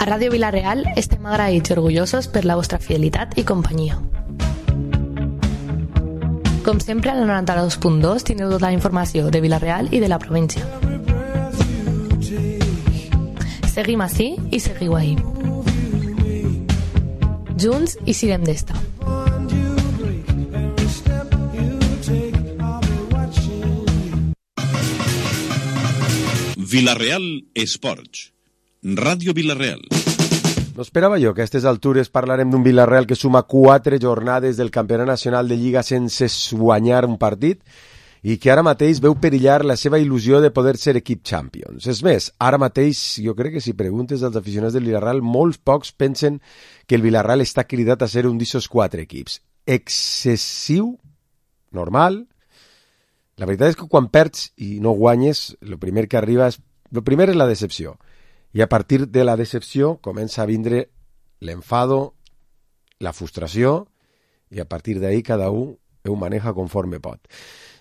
A Ràdio Vila-real estem agraïts i orgullosos per la vostra fidelitat i companyia. Com sempre, al 92.2 teniu tota la informació de Vila-real i de la província. Seguim ací i seguiu ahí. Junts i siguem d'esta. Vila-real Esports. Ràdio Vila-real. No esperava jo que a aquestes altures parlarem d'un Vila-real que suma 4 jornades del Campionat Nacional de Lliga sense guanyar un partit i que ara mateix veu perillar la seva il·lusió de poder ser equip Champions. És més, ara mateix jo crec que si preguntes als aficionats del Vila-real, molts pocs pensen que el Vila-real està cridat a ser un d'aquests 4 equips. Excessiu, normal. La veritat és que quan perds i no guanyes, el primer és la decepció. I a partir de la decepció comença a vindre l'enfado, la frustració, i a partir d'ahí cada un ho maneja conforme pot.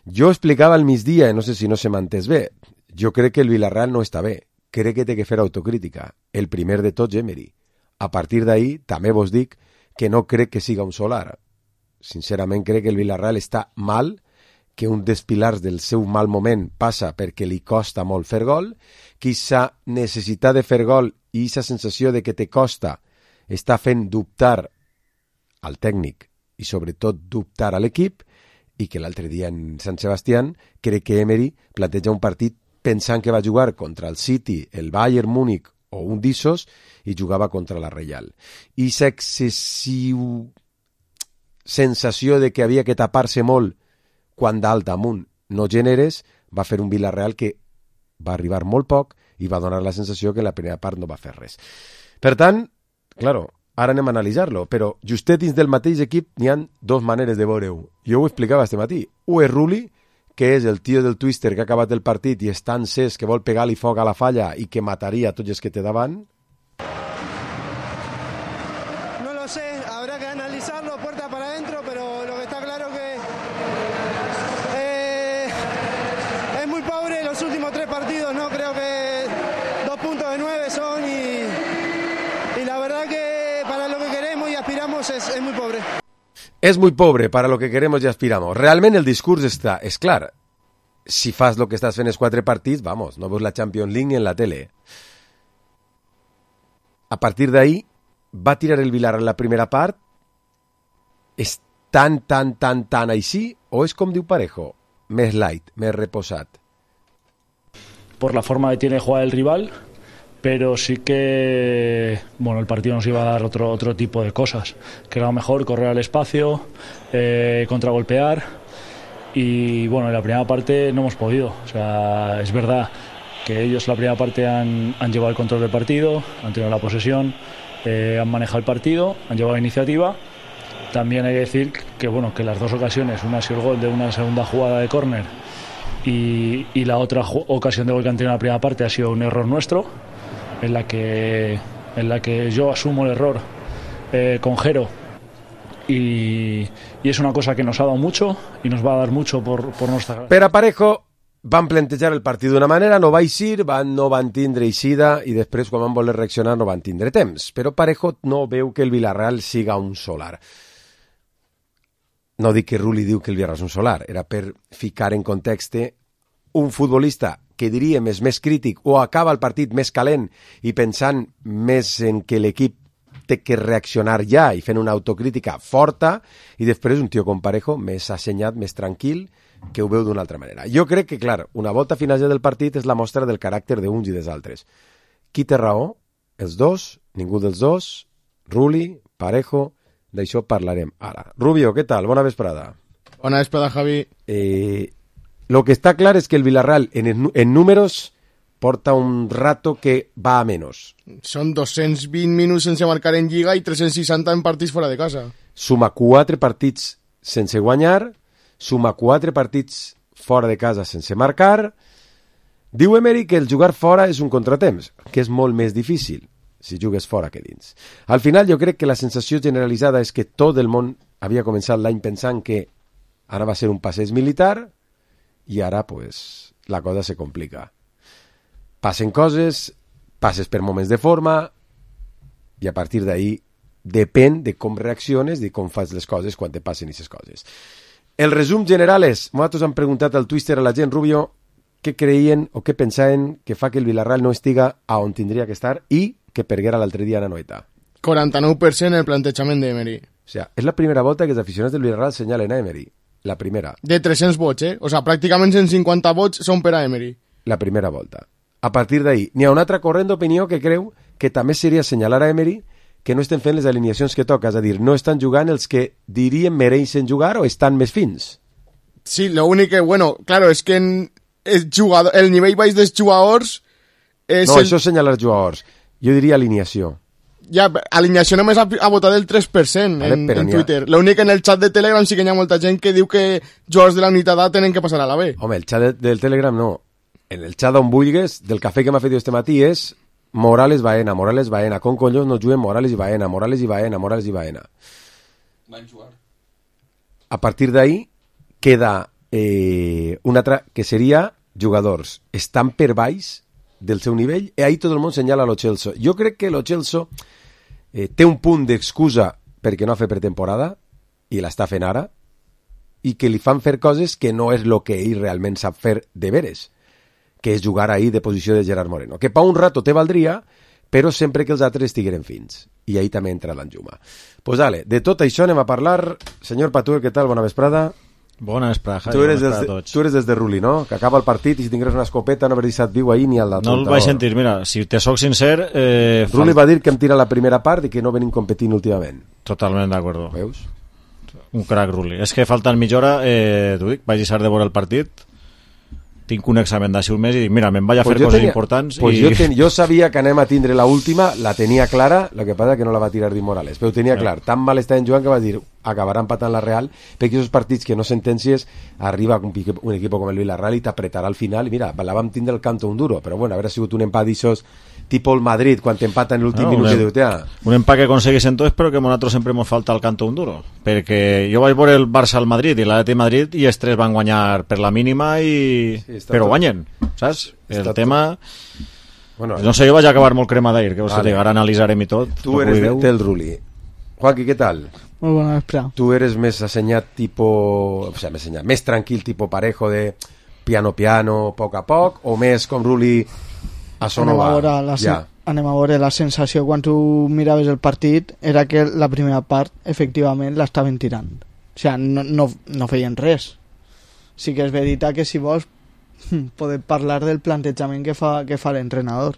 Jo explicava al migdia, no sé si no se m'ha entès bé, jo crec que el Vila-real no està bé, crec que té que fer autocrítica, el primer de tots Emery. A partir d'ahí també vos dic que no crec que siga un solar. Sincerament crec que el Vila-real està mal, que un dels pilars del seu mal moment passa perquè li costa molt fer gol, que aquesta necessitat de fer gol i aquesta sensació de que te costa està fent dubtar al tècnic i sobretot dubtar a l'equip, i que l'altre dia en Sant Sebastián crec que Emery planteja un partit pensant que va jugar contra el City, el Bayern Múnich o un d'issos i jugava contra la Reial. I aquesta excessiva sensació de que havia que tapar-se molt quan dalt amunt no generes, va fer un Vila-real que va arribar molt poc i va donar la sensació que en la primera part no va fer res. Per tant, claro, ara anem a analitzar-lo, però justet dins del mateix equip n'hi ha 2 maneres de veure-ho. Jo ho explicava este matí. Un és Rulli, que és el tio del Twister que ha acabat el partit i és tan cés que vol pegar-li foc a la falla i que mataria tots els que té davant. No lo sé, habrá que analizarlo puerta para adentro, pero lo que está claro que es muy pobre los últimos 3 partidos, ¿no? Creo que 2 puntos de 9 son y la verdad que para lo que queremos y aspiramos es muy pobre. És muy pobre para lo que queremos i aspiramos. Realment el discurs és clar. Si fas lo que estàs fent els 4 partits, vamos, no veus la Champions League en la tele. A partir d'ahí, va tirar el Vilar en la primera part? És tan així? O és com diu Parejo? Més light, més reposat. Por la forma que tiene de jugar el rival, pero sí que el partido nos iba a dar otro tipo de cosas, que era mejor correr al espacio, contragolpear, y en la primera parte no hemos podido. O sea, es verdad que ellos en la primera parte han llevado el control del partido, han tenido la posesión, han manejado el partido, han llevado la iniciativa. También hay que decir que las 2 ocasiones, una ha sido el gol de una segunda jugada de córner y la otra ocasión de gol que han tenido en la primera parte ha sido un error nuestro, en la que yo asumo el error con Jero, y es una cosa que nos ha dado mucho y nos va a dar mucho por nuestra... Per a Parejo van plantejar el partit d'una manera, no va eixir, no van tindre eixida i després quan van voler reaccionar no van tindre temps, però Parejo no veu que el Vila-real siga un solar. No dic que Rulli diu que el Vila-real és un solar, era per ficar en context un futbolista que diríem és més crític o acaba el partit més calent i pensant més en que l'equip té que reaccionar ja i fent una autocrítica forta, i després un tio com Parejo més assenyat, més tranquil, que ho veu d'una altra manera. Jo crec que, clar, una volta final del partit és la mostra del caràcter d'uns i dels altres. Qui té raó? Els dos? Ningú dels dos? Rulli? Parejo? D'això parlarem ara. Rubio, què tal? Bona vesprada. Bona vesprada, Javi. Lo que està clar és que el Vila-real en números porta un rato que va a menos. Són 220 minuts sense marcar en Lliga i 360 en partits fora de casa. Suma 4 partits sense guanyar, suma 4 partits fora de casa sense marcar. Diu Emery que el jugar fora és un contratemps, que és molt més difícil si jugues fora que dins. Al final jo crec que la sensació generalitzada és que tot el món havia començat l'any pensant que ara va ser un passeig militar i ara pues la cosa se complica. Passen coses, passes per moments de forma, i a partir d'ahí depèn de com reacciones, de com fas les coses quan te passen aquestes coses. El resum general és, nosaltres hem preguntat al Twitter a la gent, Rubio, què creien o què pensaven que fa que el Villarreal no estiga a on tindria que estar i que perguera l'altre dia a Anoeta. 49% el plantejament d'Emery. O sigui, és la primera volta que els aficionats del Villarreal senyalen a Emery. La primera. De 300 vots, O sigui, pràcticament 150 vots són per a Emery. La primera volta. A partir d'ahí, n'hi ha un altre corrent d'opinió que creu que també seria assenyalar a Emery que no estem fent les alineacions que toca, és a dir, no estan jugant els que dirien mereixen jugar o estan més fins. Sí, lo únic que, bueno, claro, és que el nivell baix dels jugadors és... No, això és assenyalar jugadors. Jo diria alineació. Ja, alineació només ha votat el 3% vale, en Twitter. L'únic en el xat de Telegram sí que hi ha molta gent que diu que jugadors de la unitat A tenen que passar a la B. Home, el xat del Telegram no. En el xat on vulguis, del cafè que m'ha fet este matí és Morales Baena, con collons no juguen Morales i Baena. Van jugar. A partir d'ahí queda un altre que seria jugadors estan per baix del seu nivell i ahí tot el món senyala Lo Celso. Jo crec que Lo Celso té un punt d'excusa perquè no ha fet pretemporada i l'està fent ara i que li fan fer coses que no és el que ell realment sap fer de veres, que és jugar ahí de posició de Gerard Moreno, que pa un rato te valdria, però sempre que els altres estigueren fins. I ahí també entra l'enjuma. Pues dale, de tot això anem a parlar. Senyor Patuel, què tal? Bona vesprada. Bona vesprada, Javi. Tu eres des de Ruli, no? Que acaba el partit i si tingués una escopeta no hauries estat viu ahir ni al d'altre. No el vaig sentir, mira, si te soc sincer... Ruli va dir que em tira la primera part i que no venim competint últimament. Totalment d'acord. Veus? Un crac, Ruli. És que faltant mitja hora, t'ho dic, vaig deixar de veure el partit, tinc un examen d'ací un mes i dic, mira, me'n vaig a fer coses importants. Pues jo sabia que anem a tindre la última, la tenia clara, el que passa que no la va tirar Di Morales, però ho tenia clar, tan mal estaven jugant que va dir, acabarà empatant la Real, perquè aquests partits que no sentències, arriba un equip com el Villarreal i t'apretarà al final, i mira, la vam tindre el canto un duro, però bueno, haver sigut un empat d'aixòs tipo el Madrid, quan t'empata en l'últim minut un empat que aconseguissin tots, però que a nosaltres sempre ens falta el canto un duro, perquè jo vaig veure el Barça al Madrid i l'Atlètic Madrid i els tres van guanyar per la mínima però guanyen, saps? El tema... Bueno, no sé, jo vaig acabar molt crema d'aire, que ara analitzarem i tot. Tu eres del Ruli. Juanqui, què tal? Muy buena espera. Tu eres més assenyat més tranquil, tipo Parejo, de piano, poc a poc, o més com Ruli a Sonova? Anem a veure la sensació quan tu miraves el partit era que la primera part efectivament l'estaven tirant, o sigui, no feien res. Sí que és veritat que si vols podem parlar del plantejament que fa l'entrenador.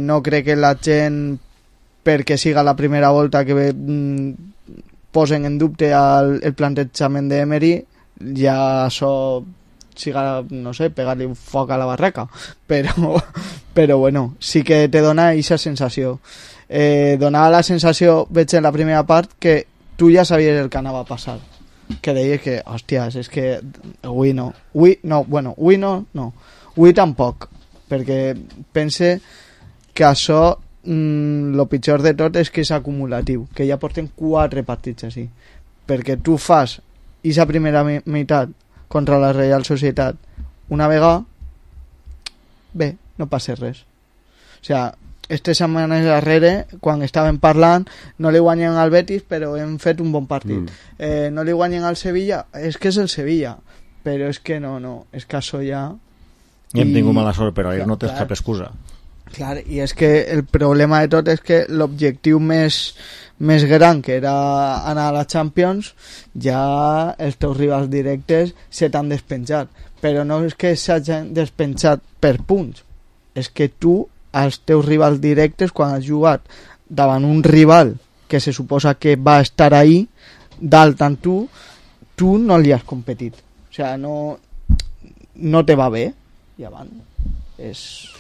No crec que la gent, perquè siga la primera volta que posen en dubte el plantejament d'Emery, ja això siga, no sé, pegar-li foc a la barraca, però bueno, sí que te dona aquesta sensació. Donava la sensació, veig en la primera part, que tu ja sabies el que anava a passar, que deies que, hòsties, és que avui tampoc, perquè pense que això el pitjor de tot és que és acumulatiu, que ja porten 4 partits així, perquè tu fas aquesta primera meitat contra la Real Societat una vegada, bé, no passa res. O sigui, aquestes setmanes darrere, quan estaven parlant, no li guanyen al Betis, però hem fet un bon partit. No li guanyen al Sevilla, és que és el Sevilla, però és que no, és que això ja... I hem tingut mala sort, però ahir no tens cap excusa. Clar, i és que el problema de tot és que l'objectiu més gran, que era anar a la Champions, ja els teus rivals directes se t'han despenjat, però no és que s'hagin despenjat per punts, és que tu, als teus rivals directes, quan has jugat davant un rival que se suposa que va estar ahí dalt amb tu no li has competit, o sigui, no te va bé, i avant és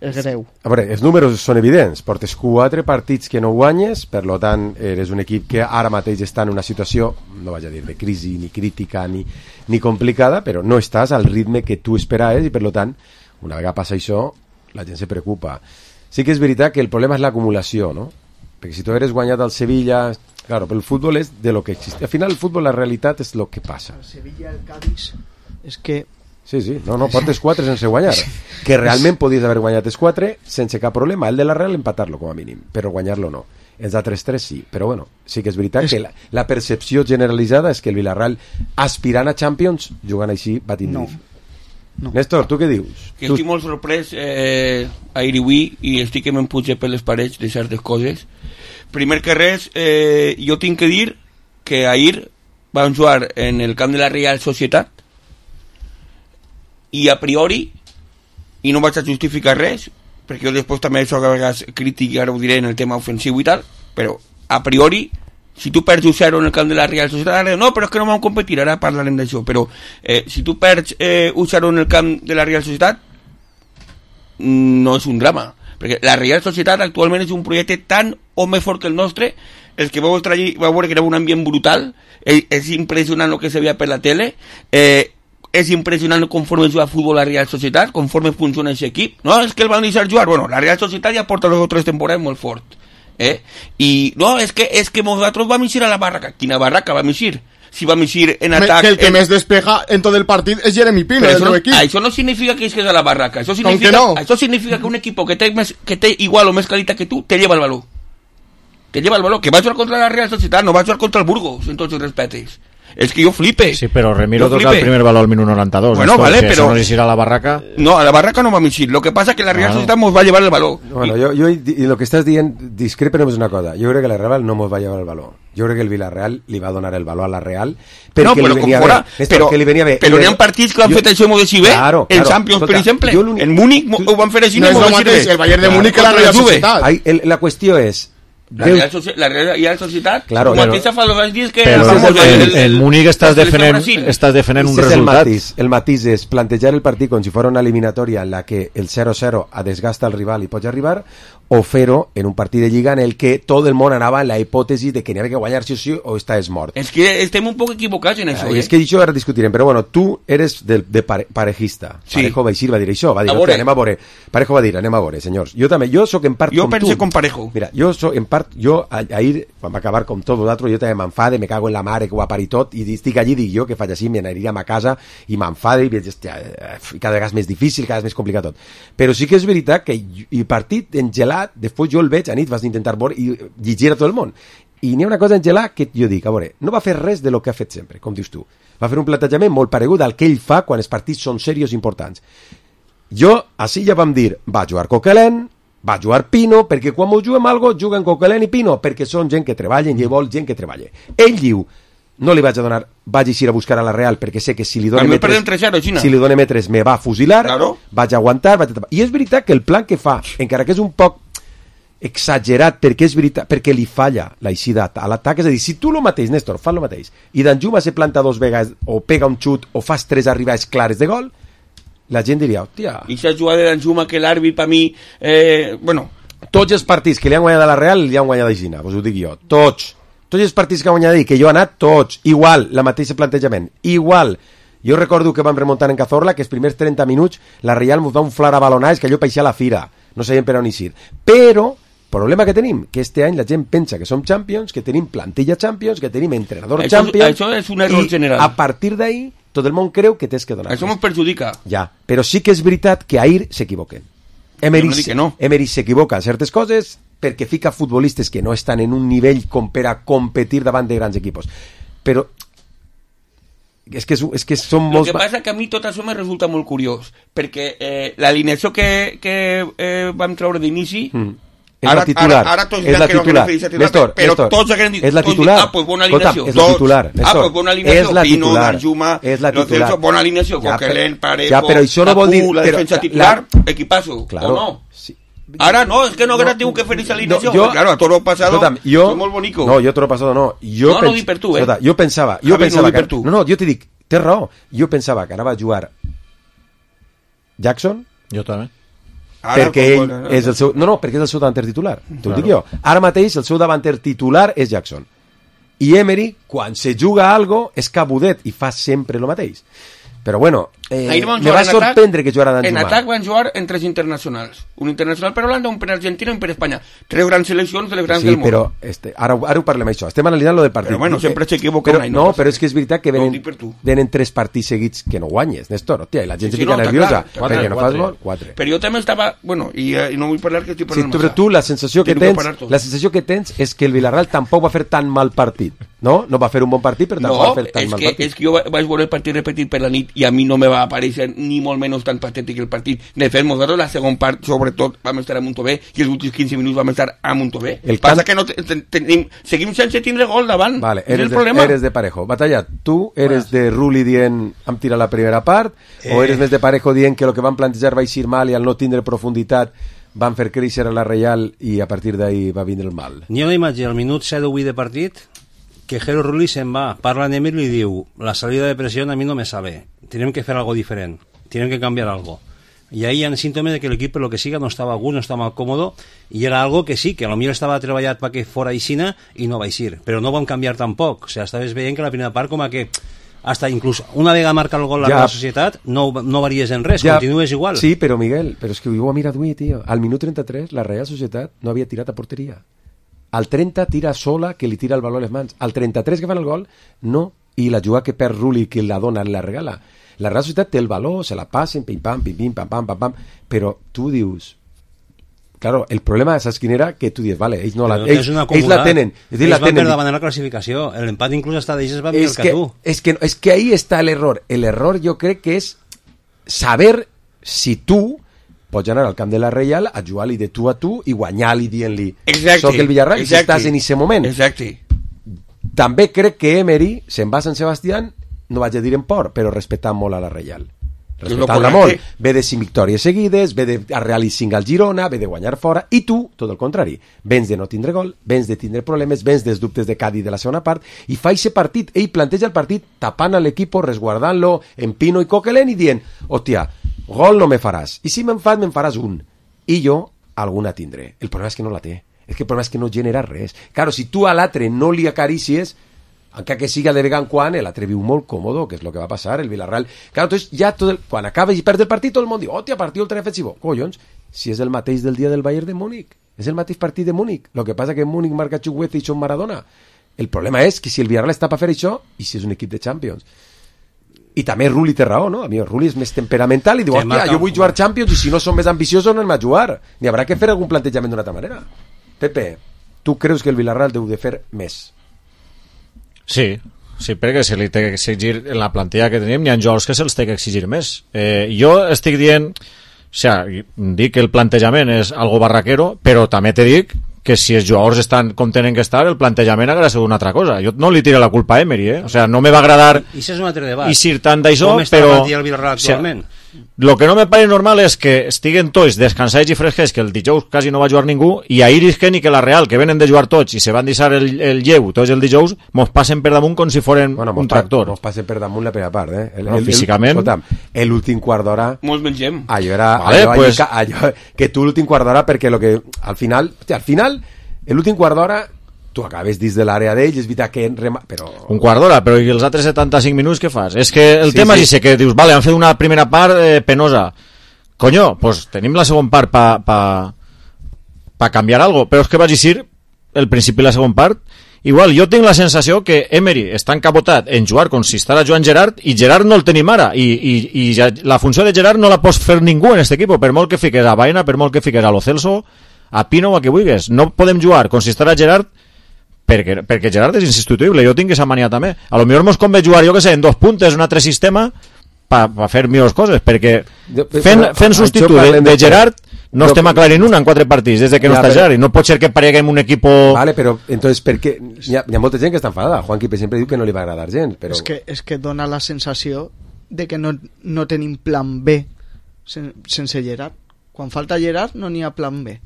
greu. A veure, els números són evidents, portes 4 partits que no guanyes, per tant eres un equip que ara mateix està en una situació, no vaig a dir de crisi ni crítica ni complicada, però no estàs al ritme que tu esperaves i per tant, una vegada passa això, la gent se preocupa. Sí que és veritat que el problema és l'acumulació, no? Perquè si tu eres guanyat al Sevilla, claro, però el futbol és de lo que existe. Al final el futbol, la realitat és lo que passa. El Sevilla, el Cádiz, és que Sí, no, portes 4 sense guanyar. Que realment podies haver guanyat els 4 sense cap problema. El de la Real empatar-lo com a mínim, però guanyar-lo no. Els altres 3 sí, però bueno, sí que és veritat que la percepció generalitzada és que el Villarreal, aspirant a Champions, jugant així, va tindre. No. Néstor, tu què dius? Que estic molt sorprès ahir i avui, i estic que me'n puja per les parets de certes coses. Primer que res, jo tinc que dir que ahir van jugar en el camp de la Real Societat i a priori, i no vaig a justificar res, perquè jo després també soc a vegades crític, ara ho diré en el tema ofensiu i tal, però a priori, si tu perds 1-0 en el camp de la Real Societat, no, però és que no vam competir, ara parlarem d'això, però si tu perds 1-0 en el camp de la Real Societat, no és un drama, perquè la Real Societat actualment és un projecte tan o més fort que el nostre. El que vau veure que era un ambient brutal, és impressionant el que se veia per la tele, és impressionant conforme juga a futbol la Real Societat, conforme funciona aquest equip. No, és que el van deixar jugar. Bueno, la Real Societat ja porta 2 o 3 temporades molt fort. I no, és que nosaltres vam eixir a la barraca. Quina barraca vam eixir? Si vam eixir en atac... Que el que més despega en tot el partit és Jeremy Pino, del seu equip. Això no significa que és a la barraca. Això significa que un equip que té igual o més qualitat que tu, te lleva el valor. Que va jugar contra la Real Societat, no va jugar contra el Burgos, en tots els respetes. És que jo flipe. Sí, però Remiro toca el primer baló al minut 92. Bueno, vale, si però... no eixir a la barraca... No, a la barraca no vam eixir. Lo que pasa que la Real Societat mos va llevar el baló. Bueno, jo lo que estàs dient, discrepa només una cosa. Jo crec que la Real no mos va llevar el baló. Jo crec que el Villarreal li va donar el baló a la Real perquè li venia bé. Però n'hi ha partits que han fet això molt així bé. En Champions, per exemple. En Múnich ho van fer així. No és el mateix el Bayern de Múnich que la Real Societat. La qüestió és... La Real Societat, claro, mateixa fa els dies que... el Múnich estàs defendent un resultat. El matís és plantejar el partit com si fos una eliminatòria en la que el 0-0 desgasta el rival i pots arribar, o fer-ho en un partit de Lliga en el que tot el món anava en la hipòtesi de que n'hi havia que guanyar sí o sí o estàs mort. És que estem un poc equivocats en això. És que això ara discutirem, però bueno, tu eres de parejista. Sí. Parejo va dir això, anem a veure. Parejo va dir, anem a veure, senyors. Jo també, jo soc en part com tu. Jo penso com Parejo. Mira, jo soc en part, ahir, quan va acabar com tot l'altre, jo també m'enfade, me cago en la mare que ho ha parit tot, i estic allí, dic jo, que faig així, m'aniríem a casa i m'enfade, i cada vegada és més difícil, cada vegada és més complicat tot. Però sí que és veritat que el partit engelat, després jo el veig a nit, vas intentar veure i llegir a tot el món. I n'hi ha una cosa engelat que jo dic, a veure, no va fer res de lo que ha fet sempre, com dius tu. Va fer un plantejament molt paregut al que ell fa quan els partits són serios i importants. Jo, així ja vam dir, va jugar Coquelin, va jugar Pino, perquè quan ho juguem algo, juguen Coquelin i Pino, perquè són gent que treballen i vol gent que treballa. Ell diu, no li vaig a donar, vaig eixir a buscar a la Real perquè sé que si li donen metres me va fusilar, claro. Vaig aguantar, i és veritat que el plan que fa, encara que és un poc exagerat, perquè és veritat, perquè li falla la eixida a l'atac, és a dir, si tu lo mateix, Néstor, fas lo mateix, i Danjuma se planta 2 vegades, o pega un xut, o fas 3 arribades clares de gol, la gent diria, hòstia... I s'ha jugat de Danjuma que l'àrbit per mi... bueno... Tots els partits que li han guanyat a la Real li han guanyat a Gina, us ho dic jo, tots els partits que han guanyat que jo he anat, tots, igual, la mateixa plantejament, igual. Jo recordo que vam remuntar en Cazorla, que els primers 30 minuts la Real ens va unflar a balonars, que allò peixia a la fira, no sabíem per on eixir. Però, problema que tenim, que este any la gent pensa que som Champions, que tenim plantilla Champions, que tenim entrenador Champions... Això és un error general. A partir d'ahí, tot el món creu que tens que donar. Això ens perjudica. Ja, però sí que és veritat que ahir s'equivoquen. Emery s'equivoca en certes coses perquè fica futbolistes que no estan en un nivell com per a competir davant de grans equipos. Però és que són molts... El que passa que a mi tot això me resulta molt curiós, perquè l'alineació que vam treure d'inici... És la titular. Ara tots diran que no refereix a titular, però tots haguem dit... És la titular. Pues bona alineació. És la titular. Pues bona alineació. Pino, Danjuma, bona alineació. Coquelin, Parejo, la defensa titular, equipazo. O no? Ara no, és que no haguera tingut que fer aquesta alineació. Claro, a toro pasado és molt bonico. No, jo toro pasado no. No dic per tu, Jo pensava que... No, jo t'hi dic, tens raó. Jo pensava que anava a jugar Jackson. Jo també. Perquè ell és el seu... No, perquè és el seu davanter titular. T'ho dic jo. Ara mateix el seu davanter titular és Jackson. I Emery, quan se juga algo, és cabudet i fa sempre el mateix. Però bueno, me va sorprendre que jugara Dan En Jumà. atac van jugar en 3 internacionals. Un internacional per Holanda, un per Argentina i un per Espanya. 3 grans seleccions de les grans del món. Sí, però ara ho parlem això. Estem analitzant lo del partit. Però bueno, sempre s'equivoca una i no, però és que és veritat que No ho dic per tu. venen 3 partits seguits que no guanyes, Néstor, hòstia, i la gent se fica no, nerviosa està clar, perquè no fas gol. 4. Però jo també estava... Bueno, i no vull parlar que estic Sí, parlant però tu la sensació que tens és que el Villarreal tampoc va fer tan mal partit, no? No va fer un bon partit, però tampoc va fer tan mal partit. És que jo vaig veure el partit repetit per la nit i a mi no me va aparèixer ni molt menys tan patètic el partit. De fet, nosaltres la segona part, sobretot, vam estar a Montové i els últims 15 minuts vam estar a Montové. Passa que no seguim sense tindre gol davant. Vale, és el problema. Eres de Parejo. Batalla, tu eres de Rulli dient hem tirat la primera part o eres més de Parejo dient que el que van plantejar va eixir mal i al no tindre profunditat van fer créixer a la Reial i a partir d'ahí va vindre el mal? N'hi ha una imatge al minut 7 o 8 de partit que Jero Rulli se'n va, parla amb Emir i li diu la salida de presión a mi no me sabe, tenim que fer algo diferent, tenim que canviar algo. Y ahí hi ha símptomes de que l'equip per lo que siga no estava a gust, no estava còmodo i era algo que sí, que a lo millor estava treballat perquè fora aixina i no va eixir, però no van canviar tampoc, o sea, estaves veient que la primera part com a que hasta inclús una vegada marca el gol la Real Societat no varies en res, continues igual. Sí, però Miguel, però és que ho ho ha mirat avui, tio. Al minut 33 la Real Societat no havia tirat a porteria. Al 30 tira sola, que li tira el baló a les mans. Al 33 que fan el gol, no. I la jugada que perd Rulli, que la dona, la regala. La Real Societat té el baló, se la passen, pim-pam, pim-pim, pam-pam, pam-pam, però tu dius... Claro, el problema saps quin era? Que tu dius, vale, ells no la... Ells la tenen. Ells van per davant la classificació. L'empat inclús hasta d'ells va millor que tu. És que ahí està l'error. L'error jo crec que és saber si tu pots anar al camp de la Reial a jugar-li de tu a tu i guanyar-li dient-li soc el Villarreal i estàs en aquest moment. Exacte. També crec que Emery se'n va a Sant Sebastián, no vaig a dir en por, però respectant molt a la Reial. Respectant-la molt. Ve de 5 victòries seguides, ve de realitzar 5 al Girona, ve de guanyar fora, i tu, tot el contrari. Vens de no tindre gol, vens de tindre problemes, vens dels dubtes de Cádiz de la segona part, i fa aquest partit, ell planteja el partit tapant a l'equip, resguardant-lo en Pino i Coquelin i dient, hòstia, gol no me faràs, i si me'n faràs un, i jo alguna tindré. El problema és que no la té. És que el problema és que no genera res. Claro, si tu a l'altre no li acarícies, encara que siga de vegada en quan, l'altre viu molt còmodo, que és el que va passar, el Villarreal. Claro, entonces ja quan acaba i perd el partit, tot el món diu, hòstia, partit ultra defensivo. Collons, si és el mateix del dia del Bayern de Múnich, és el mateix partit de Múnich. Lo que passa que en Múnich marca Chukwueze i són Maradona. El problema és que si el Villarreal està per fer això, i si és un equip de Champions. I també Rulli té raó, no? A mi Rulli és més temperamental i diu, hòstia, jo vull jugar Champions i si no són més ambiciosos no anem a jugar. N'hi haurà que fer algun plantejament d'una altra manera. Pepe, tu creus que el Villarreal deu de fer més? Sí, perquè se li té que exigir en la plantilla que tenim, n'hi ha jocs que se'ls té que exigir més. Jo estic dient, o sigui, dic que el plantejament és algo barraquero, però també te dic que si els jugadors estan com tenen que estar, el plantejament haurà sigut una altra cosa. Jo no li tiré la culpa a Emery, o sea, no me va agradar I és un altre debat. I tant d'això, com està però... el Villarreal actualment? Lo que no me pareix normal és que estiguen tots descansats i fresquets, que el dijous quasi no va jugar ningú, i ahir isquen i que la Real, que venen de jugar tots i se van deixar el lleu tots el dijous, mos passen per damunt com si foren un tractor. Mos passen per damunt la primera part, físicament. L'últim quart d'hora... Mos mengem. Allò era... Allò que tu l'últim quart d'hora, perquè lo que... Al final, l'últim quart d'hora tu acabes dins de l'àrea d'ells, és veritat que... Però... Un quart d'hora, però i els altres 75 minuts què fas? És que el tema és que dius, vale, han fet una primera part penosa. Coño, pues tenim la segona part pa canviar algo, però és que vaig dir el principi i la segona part. Igual, jo tinc la sensació que Emery està encapotat en jugar com si estara Joan Gerard i Gerard no el tenim ara i la funció de Gerard no la pots fer ningú en este equip, per molt que fiques a Baena, per molt que fiques a Lo Celso, a Pino o a qui vulguis. No podem jugar com si estara Gerard perquè Gerard és insubstituïble, jo tinc aquesta mania també. A lo millor mos convé jugar, jo que sé, en 2 puntes, un altre sistema per fer millors coses, perquè fent substitut de Gerard no estem aclarint una en 4 partits des de que no està Gerard, i no pot ser que pareguem un equip... Vale, però entonces perquè hi ha molta gent que està enfadada. Juanqui sempre diu que no li va agradar gens, però... És que dona la sensació de que no tenim plan B sense Gerard. Quan falta Gerard no n'hi ha plan B.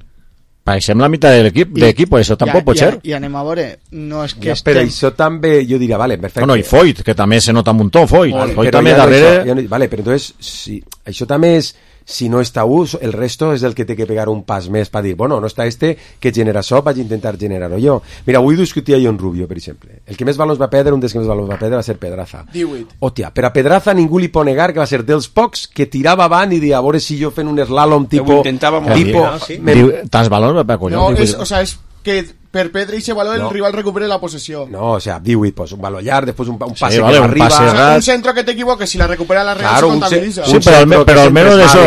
Parecem la meitat de l'equip, això tampoc pot ser. I anem a veure, no és que però això també, jo diria, vale, perfecte. Bueno, i Foyt, que també se nota un muntó, Foyt també darrere... Vale, però entonces, si això també és... si no està el resto és el que té que pegar un pas més per dir, bueno, no està que genera això, vaig intentar generar-ho jo. Mira, avui discutia jo en Rubio, per exemple. El que més valors va perdre, un dels que més valors va perdre va ser Pedraza. 18. Hòstia, per a Pedraza ningú li pot negar que va ser dels pocs que tirava avant i dia, a veure si jo fent un slalom tipo... Tants valors va per collons. No, és que per Pedri i ese valor el rival recupere la possessió. No, o sea, 18, pues un valor llarg, després un pase sí, vale, que arriba... Pase un centro que te equivoques, si la recupera la Real claro, se contabiliza. Sí, pero al menos eso,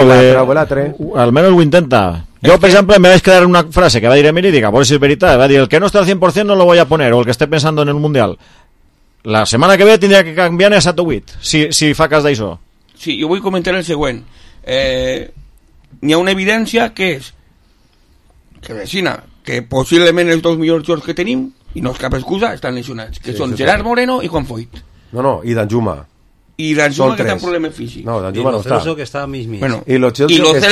al menos ho intenta. Jo, per exemple, me vaig quedar una frase que va dir Emili, dic, a veure si és veritat, va dir, el que no està al 100% no lo voy a poner, o el que esté pensando en el Mundial. La setmana que ve tindria que canviar a 7 o 8, si fa cas d'això. Sí, jo vull comentar el següent. N'hi ha una evidència que és que vecina, que possiblement els dos millors jugadors que tenim, i no és cap excusa, estan lesionats, que són Gerard Moreno i Juan Foyt. No, i Danjuma. I Danjuma que té un problema físic. No, Danjuma no està. Celso que està mig. Bueno, i Lo Celso no és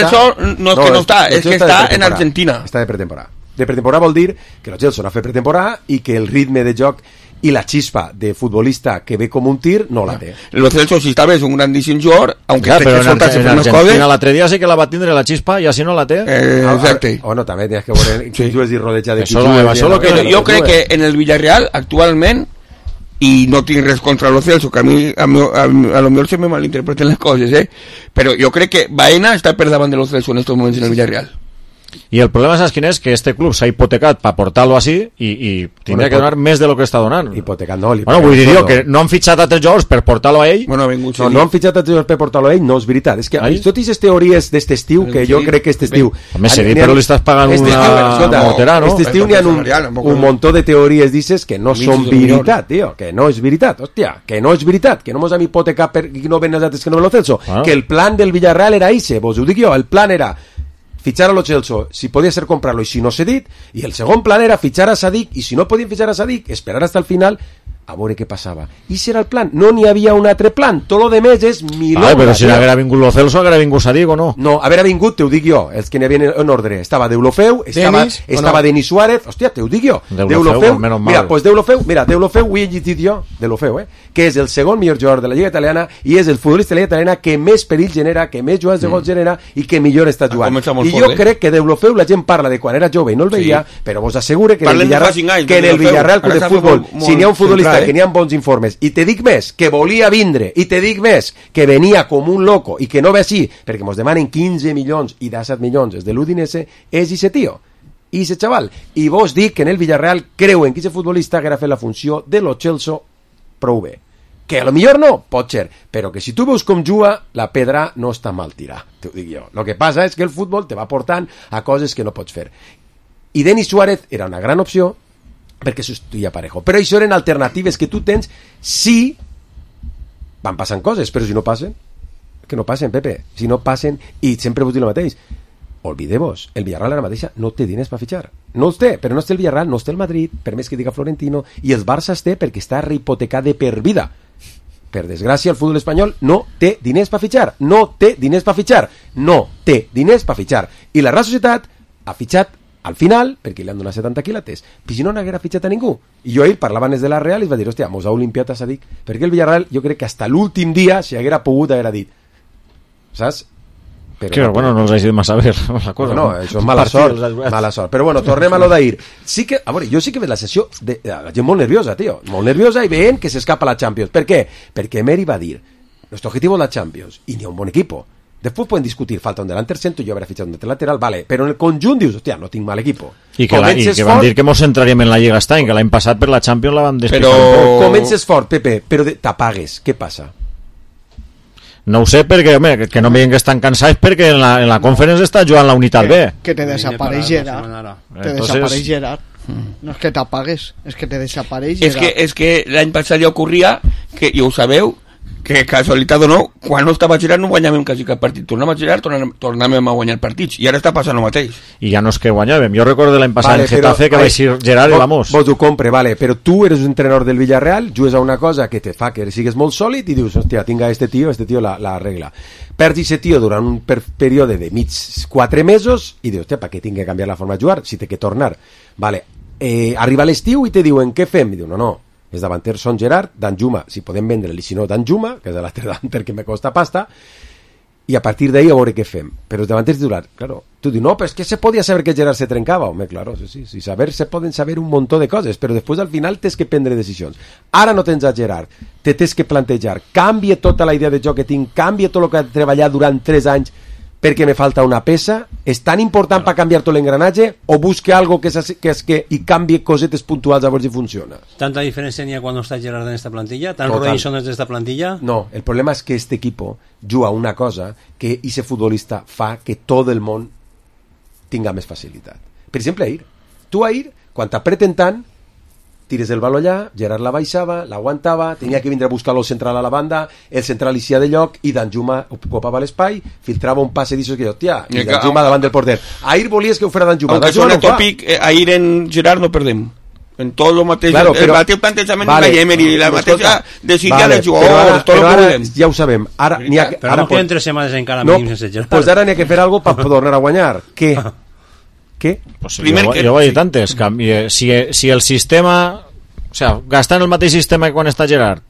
que no està, és que està en Argentina. Està de pretemporada. De pretemporada vol dir que Lo Celso no ha fet pretemporada i que el ritme de joc i la chispa de futbolista que ve com un tir no la té. Lo Celso si està bé és un grandíssim jugador, aunque però en Argentina l'altre dia sí que la va tindre la xispa i així no la té. Exacte. No, també tens que veure qui jugues i rodeja de qui jugues. Jo crec que en el Villarreal actualment, i no tinc res contra Lo Celso, que a lo millor se me malinterpreten les coses, però jo crec que Baena està per davant de Lo Celso en estos moments en el Villarreal. Y el problema, ¿sabes quién es? Que este club s'ha hipotecat para portarlo así y tindria que donar més de lo que està donant. Hipotecat no. Bueno, vull dir que no han fitxat altres jugadors per portar-lo a ell. Bueno, no han fitxat altres jugadors per portar-lo a ell, no és veritat. És que tot aquestes teories d'este estiu, que jo crec que este estiu... Home, sí, però li estàs pagant una mortera, no? Este estiu n'hi ha un montó de teories dices que no són veritat, tio, que no és veritat, hòstia, que no és veritat, que no mos hem hipotecat per no ven els altres que no ven Lo Celso, que el plan del Villarreal era ese, vos ho dic jo, el plan era fichar a Lo Celso, si podía ser comprarlo y si no cedit, y el segundo plan era fichar a Sadik, y si no podían fichar a Sadik, esperar hasta el final a veure què passava. I si era el plan, no n'hi havia un altre plan, tot lo de més és milonga. Però si haguera vingut Lo Celso, haguera vingut Sadik o no? No, haguera vingut, te ho dic jo, els que n'hi havia en ordre, estava Deulofeu, estava Denis Suárez, hòstia, te ho dic jo, Deulofeu, mira, pues Deulofeu, ho he llegit jo, Deulofeu, que és el segon millor jugador de la Lliga Italiana i és el futbolista de la Lliga Italiana que més perill genera, que més jugades de gols genera i que millor està jugant. I jo crec que Deulofeu la gent parla de quan era jove i no el veia, però vos assegure que en el Villarreal Club de Futbol, si n'hi ha un futbolista que n'hi ha bons informes, i te dic més, que volia vindre, i te dic més, que venia com un loco i que no ve així, perquè mos demanen 15 milions i 17 milions des de l'Udinese, és ese tio, i ese xaval. I vos dic que en el Villarreal creuen que ese futbolista haguera fet la funció de Lo Celso prou bé. Que a lo millor no, pot ser, però que si tu veus com juga, la pedra no està mal tirar, t'ho dic jo. Lo que passa és que el futbol te va portant a coses que no pots fer. I Denis Suárez era una gran opció, perquè substituïa Parejo. Però això eren alternatives que tu tens si van passant coses, però si no passen, que no passen, Pepe, si no passen, i sempre vos dic el mateix, olvideu-vos, el Villarreal ara mateixa no té diners per fitxar, no els té, però no és el Villarreal, no és el Madrid, per més que diga Florentino, i el Barça es té perquè està rehipotecat de per vida. Per desgràcia, el futbol espanyol no té diners per fitxar, no té diners per fitxar, i la Real Societat ha fitxat al final, perquè li han donat 70 quilates, però si no n'haguera fitxat a ningú. I jo ahir parlava des de la Real i es va dir, hòstia, mos ha olimpiat a Sadik, perquè el Villarreal jo crec que hasta l'últim dia, si haguera pogut, haguera dit, saps? Però bueno, no els hagi de massa ver la cosa. No, això és mala sort. Però bueno, tornem a lo d'ahir. Sí que, a veure, jo sí que veig la sessió de la gent molt nerviosa, tio, molt nerviosa i veient que s'escapa la Champions. Per què? Perquè Emery va dir, nuestro objetivo es la Champions, i n'hi ha un bon equipo. Después pueden discutir, falta un delantero centro, yo habré fichado un lateral, vale, pero en el conjunt dius, hòstia, no tinc mal equipo. I que van dir que mos centraríem en la Lliga este any, que l'any passat per la Champions la vam despicar. Però comences fort, Pepe, però t'apagues, què passa? No ho sé, perquè, home, que no veien que estan cansats perquè en la Conference està jugant la Unitat B. Que te desapareix Gerard. Desapareix Gerard. No és que t'apagues, és que te desapareix Gerard. És que l'any passat ja ocorria, que ja ho sabeu, que casualitat o no, quan no estava Gerard no guanyàvem quasi cap partit, tornàvem a Gerard, tornàvem a guanyar partits, i ara està passant el mateix. I ja no és que guanyàvem, jo recordo l'any passat en Getafe que va ser Gerard i vamos. Vos ho compre, vale, però tu eres un entrenador del Villarreal, jugues a una cosa que te fa que sigues molt sòlid i dius, hòstia, tinga este tio la regla. Perds aquest tio durant un període de mig 4 mesos i dius, hòstia, per què tinc que canviar la forma de jugar si té que tornar? Vale, arriba l'estiu i te diuen, què fem? I diu, no, els davanters són Gerard, Danjuma, si podem vendre-li, si no Danjuma, que és l'altre davanter que me costa pasta, i a partir d'ahí a veure què fem. Però els davanters titulars, claro, tu dius, no, però és que se podia saber que Gerard se trencava. Home, claro, sí, saber, se poden saber un muntó de coses, però després al final tens que prendre decisions. Ara no tens a Gerard, te tens que plantejar, canvia tota la idea de joc que tinc, canvia tot el que he treballat durant 3 anys perquè me falta una peça, és tan important per canviar tot l'engranatge o busque algo que i canvie cosetes puntuals a veure si funciona. ¿Tanta diferencia tenía cuando está Gerard en esta plantilla? ¿Tan Robinson es de esta plantilla? No, el problema és que este equipo juga una cosa que ese futbolista fa que tot el món tinga més facilitat. Per exemple, Ahir. Tu Ahir, quan t'apreten tant, tires el baló allà, Gerard la baixava, l'aguantava, tenia que vindre a buscar el central a la banda, el central eixia de lloc i Danjuma ocupava l'espai, filtrava un passe d'això que jo, tia, i Danjuma davant del porter. Ahir volies que ho fera Danjuma. Aunque suene tòpic, Ahir en Gerard no perdem. En tot el mateix, claro, però, el mateix plantejament de Emery i la mateixa decisió de jugadors, tot el que volem. Ja ho sabem. Ara, però no queden 3 setmanes encara mínim sense Gerard. Pues ara n'hi ha que fer alguna cosa per tornar a guanyar. Què? Pues jo ho he dit antes, si el sistema, o sea, gastant el mateix sistema que quan està Gerard,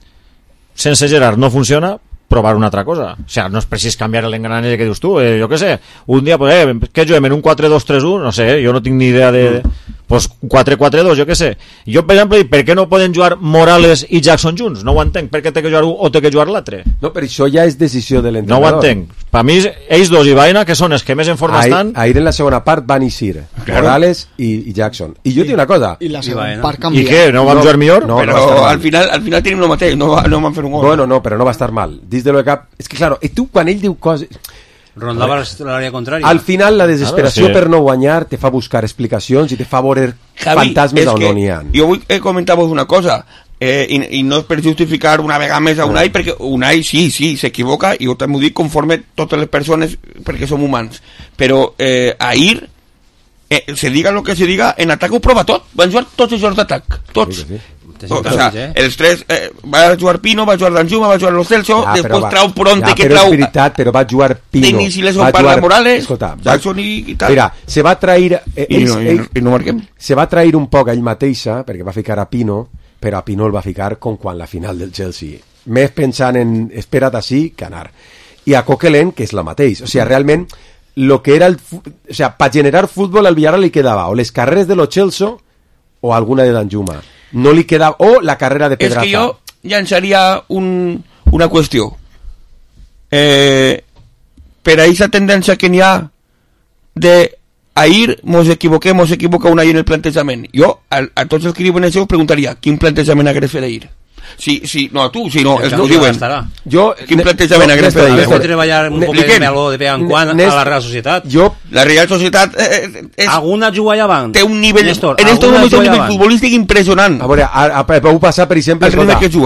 sense Gerard no funciona, provar una altra cosa. O sea, no és precís canviar l'engranatge que dius tu, jo què sé, un dia, pues, què juguem en un 4-2-3-1? No sé, jo no tinc ni idea de... Pues 4-4-2, jo què sé. Jo, per exemple, per què no poden jugar Morales i Jackson junts? No ho entenc. Per què té que jugar un o té que jugar l'altre? No, però això ja és decisió de l'entrenador. No ho entenc. Per mi, ells dos i Baena, que són els que més en forma estan... Ahir en la segona part van eixir Morales i Jackson. I jo tinc una cosa. I la segona part canvia. I què? No van jugar millor? No, però al final tenim el mateix. No van fer un gol. Bueno, no, però no va estar mal. Dins de lo que cap... És que, claro, tu quan ell diu coses... Rondava l'àrea contrària. Al final la desesperació per no guanyar te fa buscar explicacions i te fa veure fantasmes on no n'hi ha. Jo vull comentar-vos una cosa i no és per justificar una vegada més a Unai, perquè Unai sí, s'equivoca i jo també ho dic conforme totes les persones perquè som humans, però Ahir se diga lo que se diga, en atac ho prova tot, van jugar tots els jocs d'atac, tots. O sea, els tres va jugar Pino, va jugar Danjuma, va jugar Lo Celso, després trau Pronte que trau... Però és veritat, però va jugar Pino, va jugar Morales, Jackson i tal. Mira, se va trair... I no marquem. Se va trair un poc a ell mateixa, perquè va ficar a Pino, però a Pino el va ficar com quan la final del Chelsea. Més pensant en espera't així que anar. I a Coquelin, que és la mateix. O sigui, realment, lo que era o sea, per generar futbol al Villarreal li quedava o les carreres de Lo Celso o alguna de Danjuma. No li quedava, o la carrera de Pedraza. És que jo llançaria una qüestió. Per a aquesta tendència que n'hi ha de Ahir mos equivoca un Ahir en el plantejament. Jo, a tots els que diuen això, us preguntaria quin plantejament hagués fet Ahir. No, tu, si no, els que ho diuen. Quin plantejament hagués fet Ahir? Has de treballar un poc de meló de vegades en quan a la Real Societat. La Real Societat alguna juga allà avant. Té un nivell, en este moment té un nivell futbolístic impressionant. A veure, avui passat, per exemple,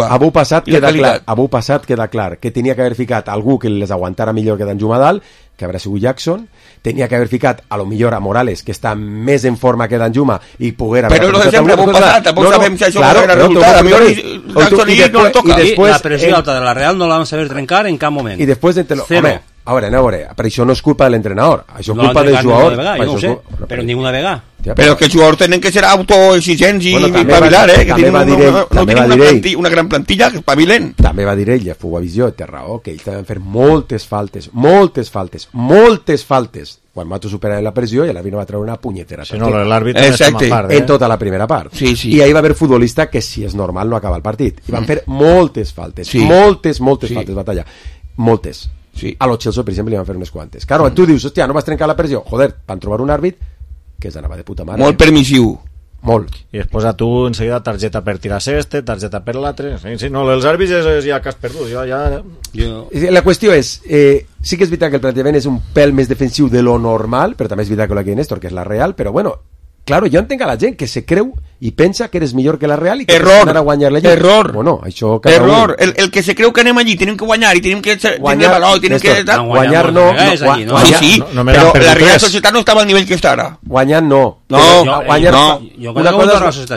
avui passat queda clar que tenia que haver ficat algú que les aguantara millor que Danjuma dalt, que haurà sigut Jackson, tenia que haver ficat a lo millor a Morales, que està més en forma que Danjuma i poguera... Però no de sempre, avui passat, tampoc sabem si això era resultat, a millor Jackson i no toca. La pressió alta de la Real no la vam saber trencar en cap moment. I després home, a veure, però això no és culpa de l'entrenador, això és culpa del jugador. Jo no ho sé, però ninguna vegada. Però que els jugadors tenen que ser autoexigents i espavilar, que tenen una gran plantilla, que espavilen. També va dir ell, a Fugavisió, té raó, que ells van fer moltes faltes, quan Mato superava la pressió i a la no va treure una punyetera. Si no, l'àrbitre en tota la primera part. I ahí va haver futbolista que, si és normal, no acaba el partit. I van fer moltes faltes, moltes faltes, batalla. Moltes. A Lo Celso, per exemple, li van fer unes quantes. Claro, tu dius, hòstia, no vas trencar la pressió. Joder, van trobar un àrbit que s'anava de puta mare. Molt permissiu. Molt. I després a tu enseguida targeta per tirar ceste, targeta per l'altre. Sí, no, els àrbits ja que has perdut. La qüestió és, sí que és veritat que el plantejament és un pèl més defensiu de lo normal, però també és veritat que la que Néstor, que és la Real, però bueno, claro, jo entenc a la gent que se creu i pensa que eres millor que la Real i que anar a guanyar la Lliga. Error. Bueno, això error. El que se creu que anem allí, tenim que guanyar i tenim que tenir valor, tenim que... Guanyar no. Sí, però la Real Societat no estava al nivell que està ara. Guanyar no. Guanyar no.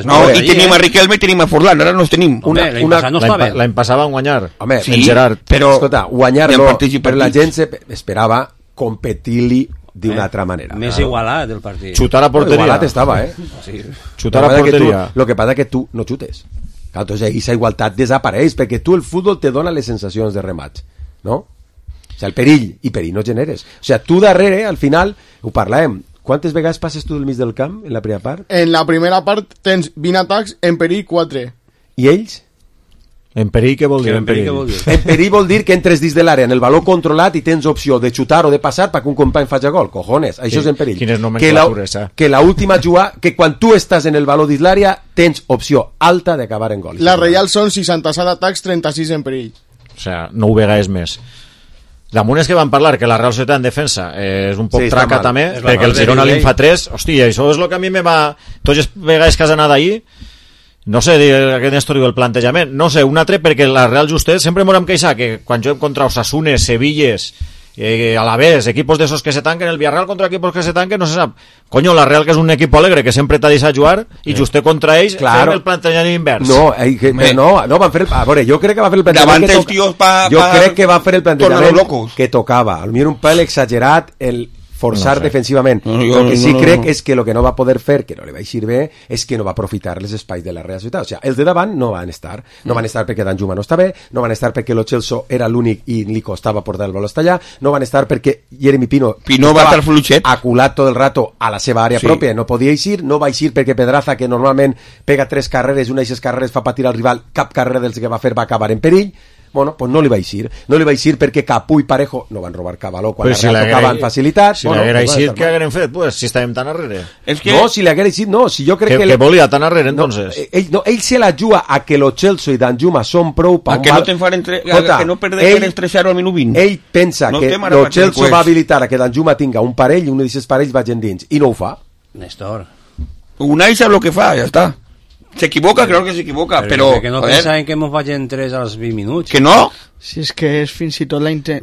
No, i tenim a Riquelme i tenim a Forlán, ara no els tenim. L'any passat van guanyar. Home, Gerard. Però, escolta, guanyar no, però la gent esperava competir-li d'una altra manera. Més igualat el partit. Xutar a porteria. Igualat estava, Sí. Xutar a porteria. Lo que passa que tu no xutes. Entonces, aquesta igualtat desapareix, perquè tu el futbol te dona les sensacions de rematx, no? O sigui, el perill no generes. O sigui, tu darrere, al final, ho parlàvem, quantes vegades passes tu del mig del camp en la primera part? En la primera part tens 20 atacs, en perill 4. I ells? En perill què vol dir? En perill vol dir que entres dins de l'àrea en el valor controlat i tens opció de xutar o de passar perquè un company faci gol. Cojones, això és en perill. Quines nomenclatures, que l'última jugada, que quan tu estàs en el valor dins l'àrea tens opció alta d'acabar en gol. La Reial són 67 atacs, 36 en perill. O sea, 9 vegades més. Damunt és que van parlar que la Real Societat en defensa és un poc traca també, perquè el Girona li'n fa 3. Hòstia, això és el que a mi me va... Tots les vegades que has anat ahir, no sé, aquest Néstor diu el plantejament, no sé, un altre perquè la Real Justet sempre m'ho hem queixat que quan juguem contra Osasunes, Sevilles, Alavés, equipos d'esos que se tanquen, el Villarreal contra equipos que se tanquen, no se sap. Coño, la Real, que és un equip alegre, que sempre t'ha deixat jugar, i Justet contra ells fent el plantejament invers. No, van fer el... A veure, jo crec que va fer el plantejament jo crec que va fer el plantejament que tocava. Al millor un pèl exagerat el forçar defensivament. El que sí crec és que el que no va poder fer, que no li va eixir bé, és que no va aprofitar els espais de la Real Societat. O sigui, els de davant no van estar. No van estar perquè Danjuma no està bé, no van estar perquè Lo Celso era l'únic i li costava portar el baló hasta allà, no van estar perquè Jeremy Pino va estar fluixet, aculat tot el rato a la seva àrea pròpia, no podia eixir, no va eixir perquè Pedraza, que normalment pega 3 carreres, una d'aquestes carreres fa patir al rival, cap carrera dels que va fer va acabar en perill. Bueno, pues no li va eixir. No li va eixir perquè Capú i Parejo no van robar cap valor quan la tocaven amb facilitat. Si l'haguera eixit, què hagueren fet? Pues, si estàvem tan arrere. No, si l'haguera eixit, no. Si jo crec que volia tan arrere, entonces. Ell se la juga a que Lo Celso i Danjuma són prou... A que no te'n fan que no perden el 3-0 al minut 20. Ell pensa que Lo Celso va habilitar a que Danjuma tinga un parell i un d'aquests parells vagin dins. I no ho fa. Néstor. Unai sap lo que fa, ja està. Se equivoca, creo que se equivoca, pero que no pensa en que hemos vayan 3 a los 20 minutos. Que no. Si és que és fins i tot la identitat.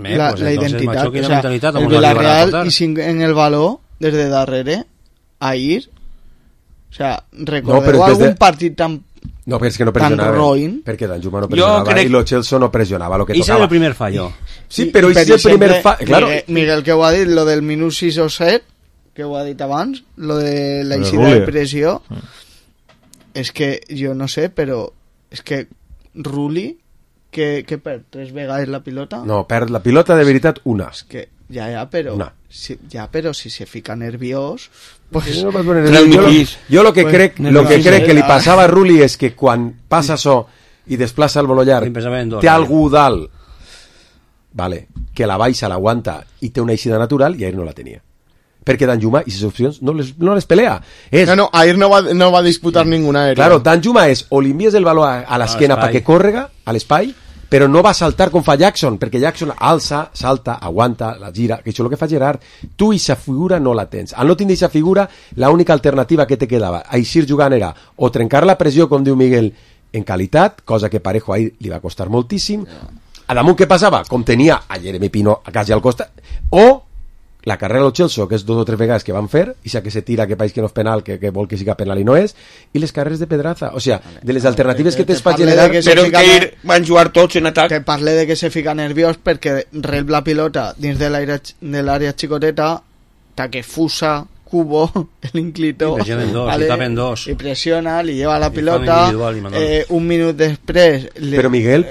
Macho, o sea, el Villarreal i sin en el baló des de darrere a ir. O sea, recordeu algun partit tan... No, però és que no pressionava, perquè Danjuma no pressionava i Lo Celso no pressionava lo que tocava. I és el primer fallo. Sí, però és el primer fallo. Claro. Miguel, que ho ha dit, lo del minut 6 o 7, que ho ha dit abans, lo de la eixida de pressió, és que jo no sé, però és que Rulli, que perd 3 vegades la pilota? No, perd la pilota de veritat una. És que però si se fica nerviós, pues jo lo que crec que li passava a Rulli és que quan passa això i desplaça el baló llarg té algú dalt, vale, que la baixa, l'aguanta i té una eixida natural, i ahir no la tenia. Perquè Danjuma i les opcions no les pelea. Ahir no va disputar ninguna aèria. Claro, Danjuma és o li envies el baló a l'esquena perquè córrega a l'espai, però no va saltar com fa Jackson, perquè Jackson alça, salta, aguanta, la gira, que això és el que fa Gerard. Tu aquesta figura no la tens. Al no tindre aquesta figura, l'única alternativa que te quedava a eixir jugant era o trencar la pressió, com diu Miguel, en qualitat, cosa que Parejo ahir li va costar moltíssim. A damunt què passava? Com tenia a Jeremy Pino a quasi al costat, o la carrera de Lo Celso, que és 2 o 3 vegades que van fer, i que se tira, que pareix que no és penal, que vol que siga penal i no és, i les carreres de Pedraza. O sigui, de les alternatives que tens per generar... Però que van jugar tots en atac. Que parle de que se fica nerviós perquè rep la pilota dins de l'àrea xicoteta, que fusa, Cubo, el inclito, y presiona, li lleva la pilota, un minut després... Però Miguel,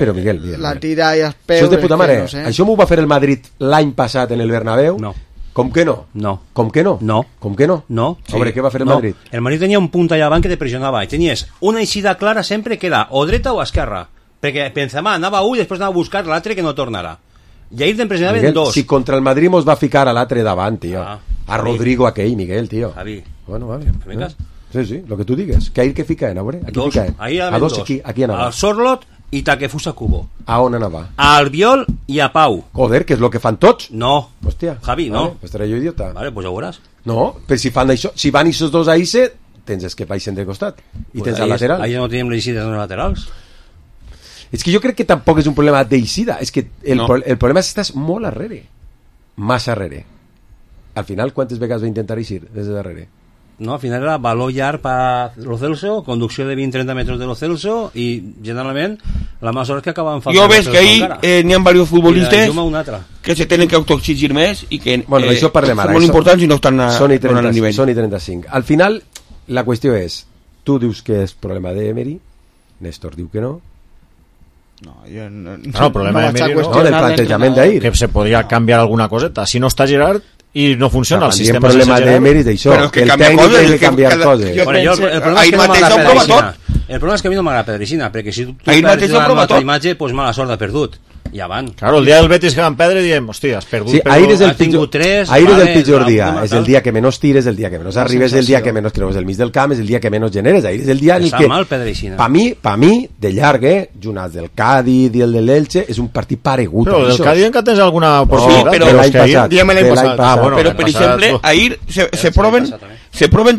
la tira i es peu... Això és de puta mare. Això m'ho va fer el Madrid l'any passat en el Bernabéu? No. Com que no? No. Com que no? No. Com que no? No. Sobre què va fer el Madrid? El Madrid tenia un punt allà avant que te pressionava i tenies una eixida clara sempre que era o dreta o esquerra, perquè Benzema anava i després anava a buscar l'altre que no tornarà. I ahir te'n pressionaven 2. Si contra el Madrid mos va ficar a l'altre davant, tio. A Rodrigo aquell, Miguel, tio. Javi. Bueno, vale. Sí, lo que tu digues. Que ahir que ficaven, a veure? Aquí ficaven. A 2, aquí anava. Al Sorlot i Takefusa Kubo. A on anava? A Albiol i a Pau. Joder, que és lo que fan tots. No. Hòstia. Javi, no. Vale, pues estaré jo idiota. Vale, pues ja ho veuràs. No, però si fan això, si van aquests dos a Ise, tens els que baixen de costat. I pues tens al lateral. Ahí no tenim les eixides laterals. És que jo crec que tampoc és un problema d'eixida, és que el problema és que estàs molt arrere. Massa arrere. Al final, quantes vegades va intentar eixir des de darrere? No, al final era baló llarg per Lo Celso, conducció de 20-30 metres de Lo Celso i generalment la massa hores que acabaven faltant. Jo ves que ahir n'hi ha diversos futbolistes que se tenen que autoexigir més i que bueno, això parlem ara, són molt importants i no estan al nivell. Són i 35. Al final, la qüestió és, tu dius que és problema d'Emery, Néstor diu que no, No, jo no, el problema de Miri, no, del plantejament d'ahir. Que se podria canviar alguna coseta. Si no està Gerard i no funciona el sistema sense Gerard... El problema de Miri és d'això, que el tècnic té que canviar coses. El problema és que a mi no m'agrada Pedricina, perquè si tu perds una altra imatge, pues mala sort ha perdut. Ja van. Claro, el dia del Betis que van perdre diem, hòstia, has perdut. Sí, ahir és el pitjor dia. És el dia que menys tires, el dia que menys arribes, el dia que menys trobes el mig del camp, és el dia que menys generes. Ahir és el dia en el que... mal, Pedricina. Pa mi, de llarg, junt al del Cádiz i el de l'Elche, és un partit paregut. Però el del Cádiz encara tens alguna possibilitat. Però l'any passat. Però, per exemple, ahir se proven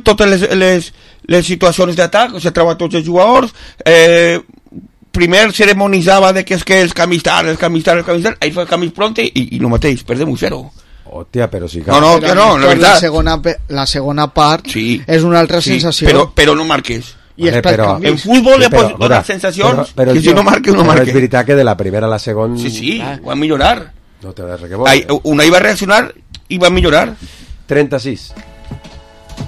totes les situacions d'atac, se troben tots els jugadors, primer ceremonitzava de que és que els canvis tard, ahir fa canvis pronte i el mateix, perdem 1-0. Hòstia, però sí que... No, la veritat. La segona part sí, és una altra sensació. Però no marques. I en futbol ja pots donar sensacions que si no marques, no marques. És veritat que de la primera a la segona... Sí, ho van millorar. No té res que veure. Una iba a reaccionar i va millorar. 36.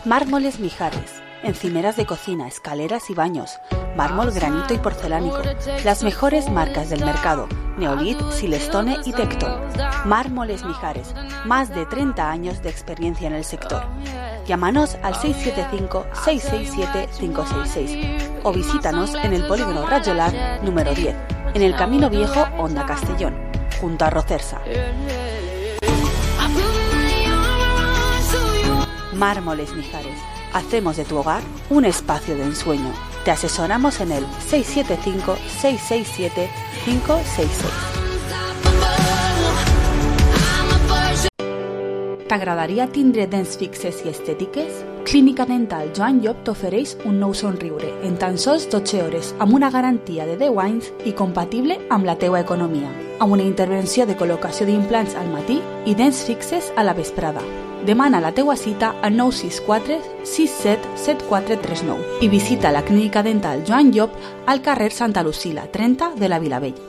Mármoles Mijares. Encimeras de cocina, escaleras y baños, mármol, granito y porcelánico. Las mejores marcas del mercado: Neolith, Silestone y Tecton. Mármoles Mijares, más de 30 años de experiencia en el sector. Llámanos al 675-667-566 o visítanos en el Polígono Rajolar número 10, en el Camino Viejo, Honda Castellón, junto a Rocersa. Mármoles Mijares. Hacemos de tu hogar un espacio de ensueño. Te asesoramos en el 675-667-566. T'agradaria tindre dents fixes i estètiques? Clínica Dental Joan Llop t'ofereix un nou somriure en tan sols 12 hores amb una garantia de 10 anys i compatible amb la teua economia. Amb una intervenció de col·locació d'implants al matí i dents fixes a la vesprada. Demana la teua cita al 964 67 7439 i visita la Clínica Dental Joan Llop al carrer Santa Lucila 30 de la Vilavella.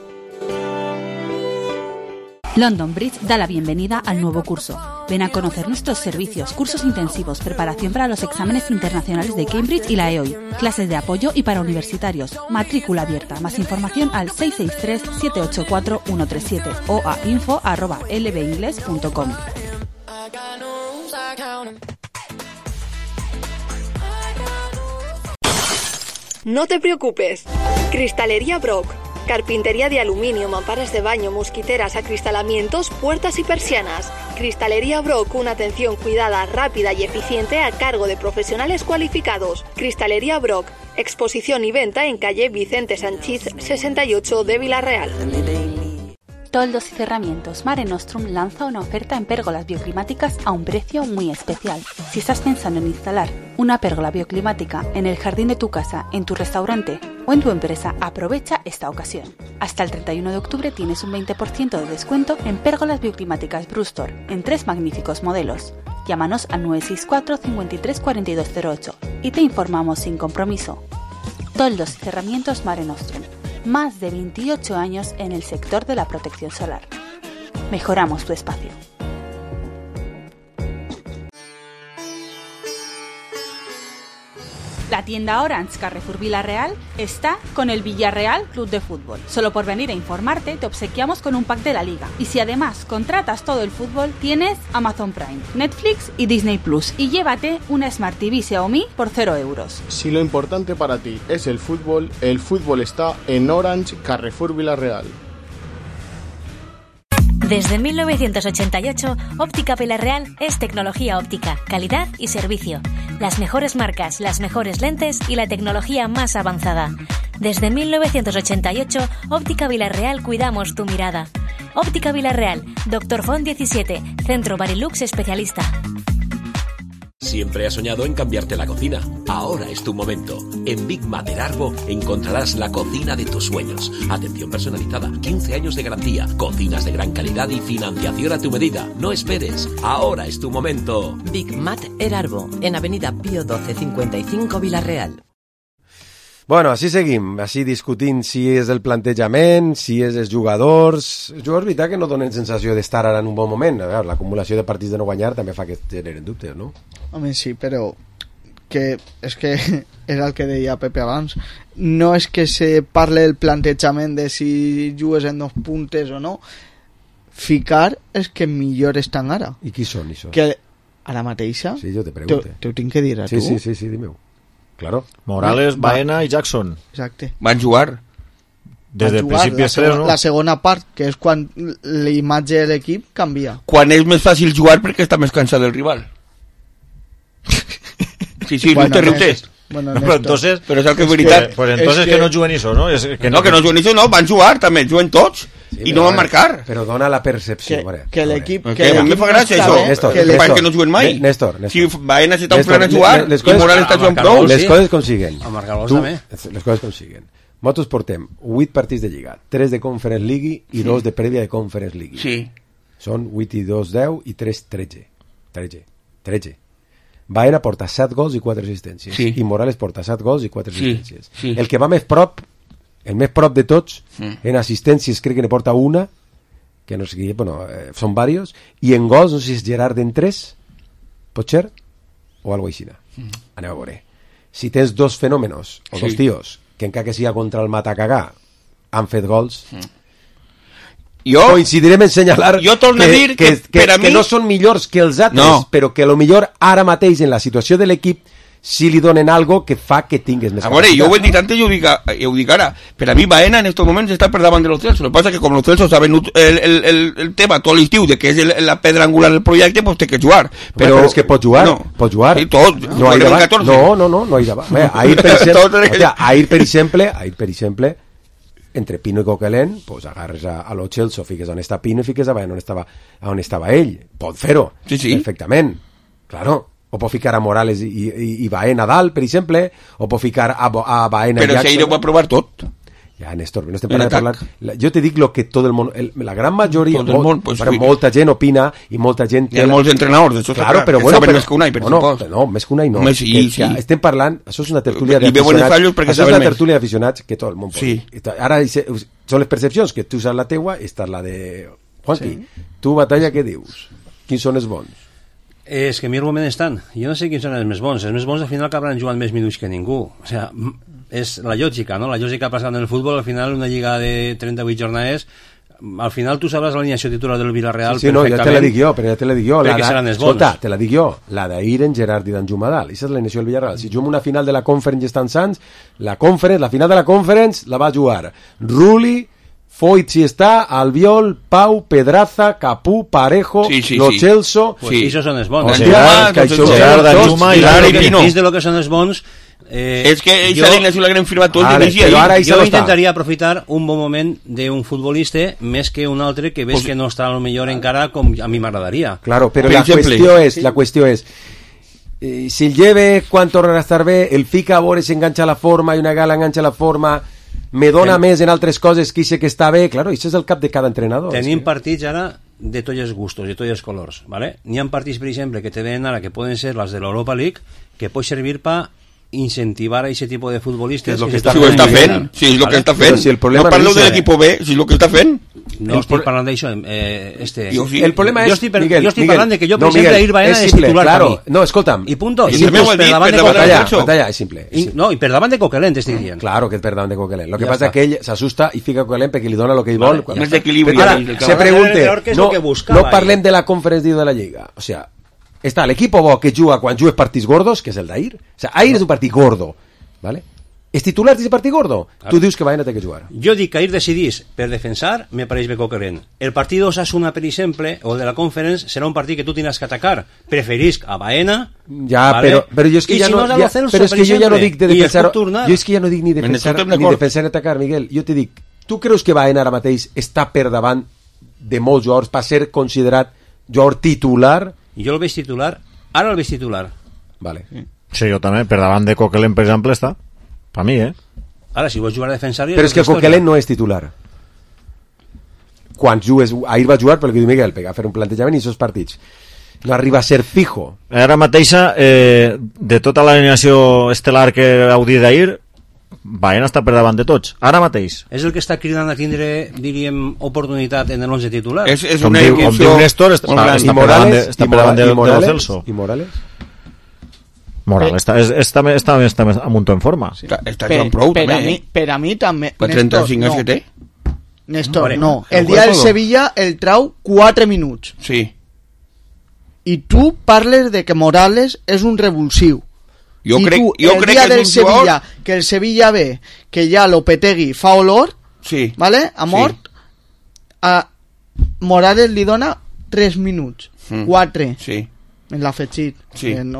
London Bridge da la bienvenida al nuevo curso. Ven a conocer nuestros servicios, cursos intensivos, preparación para los exámenes internacionales de Cambridge y la EOI, clases de apoyo y para universitarios, matrícula abierta. Más información al 663-784-137 o a info@lbingles.com. No te preocupes. Cristalería Brock. Carpintería de aluminio, mamparas de baño, mosquiteras, acristalamientos, puertas y persianas. Cristalería Brock, una atención cuidada, rápida y eficiente a cargo de profesionales cualificados. Cristalería Brock, exposición y venta en calle Vicente Sanchís 68 de Villarreal. Toldos y Cerramientos Mare Nostrum lanza una oferta en pérgolas bioclimáticas a un precio muy especial. Si estás pensando en instalar una pérgola bioclimática en el jardín de tu casa, en tu restaurante o en tu empresa, aprovecha esta ocasión. Hasta el 31 de octubre tienes un 20% de descuento en pérgolas bioclimáticas Brustor en 3 magníficos modelos. Llámanos al 964 53 4208 y te informamos sin compromiso. Toldos y Cerramientos Mare Nostrum. Más de 28 años en el sector de la protección solar. Mejoramos tu espacio. La tienda Orange Carrefour Villarreal está con el Villarreal Club de Fútbol. Solo por venir a informarte te obsequiamos con un pack de la liga. Y si además contratas todo el fútbol, tienes Amazon Prime, Netflix y Disney Plus. Y llévate una Smart TV Xiaomi por 0 euros. Si lo importante para ti es el fútbol está en Orange Carrefour Villarreal. Desde 1988, Óptica Villarreal es tecnología óptica, calidad y servicio. Las mejores marcas, las mejores lentes y la tecnología más avanzada. Desde 1988, Óptica Villarreal cuidamos tu mirada. Óptica Villarreal, Dr. Font 17, Centro Barilux especialista. Siempre has soñado en cambiarte la cocina. Ahora es tu momento. En Big Mater Arbo encontrarás la cocina de tus sueños. Atención personalizada, 15 años de garantía, cocinas de gran calidad y financiación a tu medida. No esperes. Ahora es tu momento. Big Mater Arbo, en Avenida Pío 12 55 Villarreal. Bueno, així seguim, així discutint si és el plantejament, si és els jugadors. Els jugadors, veritat, que no donen sensació d'estar ara en un bon moment. A veure, l'acumulació de partits de no guanyar també fa que generen dubtes, no? Home, sí, però que és que era el que deia Pepe abans, no és que se parle del plantejament de si jugues en 2 puntes o no, ficar és que millor estan ara. I qui són això? Que ara mateixa sí, jo te pregunto. T'ho tinc que dir a tu. Sí, dime-ho. Claro. Morales, Baena i Jackson. Exacte. Van jugar. Des del principi no? La segona part, que és quan l'imatge de l'equip canvia. Quan és més fàcil jugar perquè està més cansat del rival. Sí, bueno, no te riutes. Bueno, no, entonces, però és el que és veritat. Pues entonces que no juguen això, no? Que no juguen això, no, van jugar també, juguen tots. Sí, i no van marcar. Però dona la percepció. Que l'equip... Que a mi em fa gràcia això, perquè no juguen mai. Néstor. Si Baena s'està ofrent a jugar i Morales està jugant prou. Les coses com siguen. A marcar gols també. Les coses com siguen. Nosaltres portem 8 partits de Lliga, 3 de Conference League i 2 de prèvia de Conference League. Sí. Són 8 i 2, 10 i 3, 13. Baena porta 7 gols i 4 assistències. Sí. I Morales porta 7 gols i 4 assistències. Sí. El que va més prop, el més prop de tots, en assistències crec que ne porta una, que no sé qui, bueno, són varios, i en gols, no sé si és Gerard en 3, pot ser, o algo així. Anem a veure. Si tens 2 fenòmenos, o 2 tios, que encara que siga contra el matacagà, han fet gols... coincidirem en senyalar que no són millors que els altres, però que a lo millor ara mateix en la situació de l'equip si li donen algo que fa que tingues més capacitat. Jo ho he dit antes i ho dic ara. Per a mi Baena en estos moments està per davant de los Celso. Lo que pasa que com los Celso saben el tema tot l'estiu de que és la pedra angular del projecte, pues té que jugar. Però és que pot jugar. Sí, tot. No hi davant. Ahir, per exemple, entre Pino i Coquelin, pues agarres a lo Celso, fiques on està Pino i fiques a Baena on estava ell. Pot fer-ho, perfectament. Claro. O pot ficar a Morales i Baena dalt, per exemple, o pot ficar a Baena i Jackson. Però si ell ho va provar tot. Ja, Néstor, no estem parlant. Jo te dic lo que tot el món, la gran majoria, molta gent opina i molta gent... Hi ha molts entrenadors, això claro, però bueno, saben més que un any, per supost. No, més que un any no. Estem parlant, això és una tertúlia d'aficionats, que tot el món pot dir. Ara són les percepcions, que tu saps la teua, esta és la de Juanqui. Tu, Batalla, què dius? Quins són els bons? És que a mi el moment estan. Jo no sé quins són els més bons. Els més bons al final acabaran jugant més minuts que ningú. O sigui, és la lògica, no? La lògica passant en el futbol, al final una lliga de 38 jornades, al final tu sabràs l'alineació titular del Villarreal perfectament. Ja te la dic jo, perquè seran els bons. Escolta, te la dic jo, la d'ahir en Gerard i d'en Jumadal, aquesta és l'alineació del Villarreal. Si juguem una final de la Conference i estan sants, la final de la Conference la va jugar Rulli, Foyt si està, Albiol, Pau, Pedraza, Capú, Parejo, Lo Celso... I això són els bons. Gerard, Juma i l'Ari Pino. Dins de lo que són els bons... és que esa alineació l'haguem firmat tots jo intentaria aprofitar un bon moment d'un futbolista més que un altre que ves que no està a lo millor encara com a mi m'agradaria. Claro, però la qüestió és si el lleve quan torna a estar bé, el fica a veure si enganxa la forma i una gala enganxa la forma, me dona més en altres coses que sé que està bé, claro, això és el cap de cada entrenador. Tenim partits ara de tots els gustos, de tots els colors, ¿vale? N'hi ha partits, per exemple, que te ven ara que poden ser les de l'Europa League, que pot servir per incentivar a ese tipo de futbolistas. Si ho està fent, si és el que està fent. No parlo de l'equip B, si és el que està fent. No estic parlant d'això. El problema és, Miguel, jo estic parlant de que jo, per exemple, ir Baena és titular per mi. No, escolta'm. I punto. És simple. No, i per davant de Coquelin, t'estic dient. Claro que és per davant de Coquelin. Lo que passa és que ell s'assusta i fica Coquelin perquè li dona el que ell vol. Més d'equilibri. Ara, se pregunte, no parlem de la Conference de la Lliga. O sea, està l'equip bo que juga quan jugues partits gordos, que és el d'ahir. O sea, ahir és un partit gordo, ¿vale? És titular d'aquest partit gordo? Claro. Tu dius que Baena té que jugar. Jo dic que ahir decidís per defensar, me pareix bé Coquelin. El partit d'Osasuna, per exemple, o de la Conference, serà un partit que tu tindràs que atacar. Preferisc a Baena. Ja, ¿vale? però jo és que ja no... Però és que jo ja no dic de defensar... Jo és que ja no dic ni defensar ni atacar, Miguel. Jo te dic, tu creus que Baena ara mateix està per davant de molts jugadors per ser considerat jugador titular? Jo el veig titular, ara el veig titular. Vale. Sí, jo també, per davant de Coquelin, per exemple, està. Per mi, Ara, si vols jugar a defensar... Però és que Coquelin no és titular. Quan jugues... Ahir va jugar, pel que diu Miguel, a fer un plantejament i aquests partits. No arriba a ser fijo. Ara mateixa, de tota l'alineació estel·lar que heu dit d'ahir, Baena està per davant de tots, ara mateix. És el que està cridant a tindre, diríem, oportunitat en el 11 titular. És una com diu Néstor, està per davant de Celso. I Morales? Morales està amunt en forma. Sí. Està jugant prou, també. Per a mi també. Per 35 anys que té. Néstor, no. El dia del Sevilla el trau 4 minuts. Sí. I tu parles de que Morales és un revulsiu. Jo crec el dia que del és un Sevilla, jugador... que el Sevilla ve que ja Lopetegui fa olor, sí. ¿vale? Ha mort, a Morales li dona 3 minuts, 4. Sí. En l'afegit. Sí. En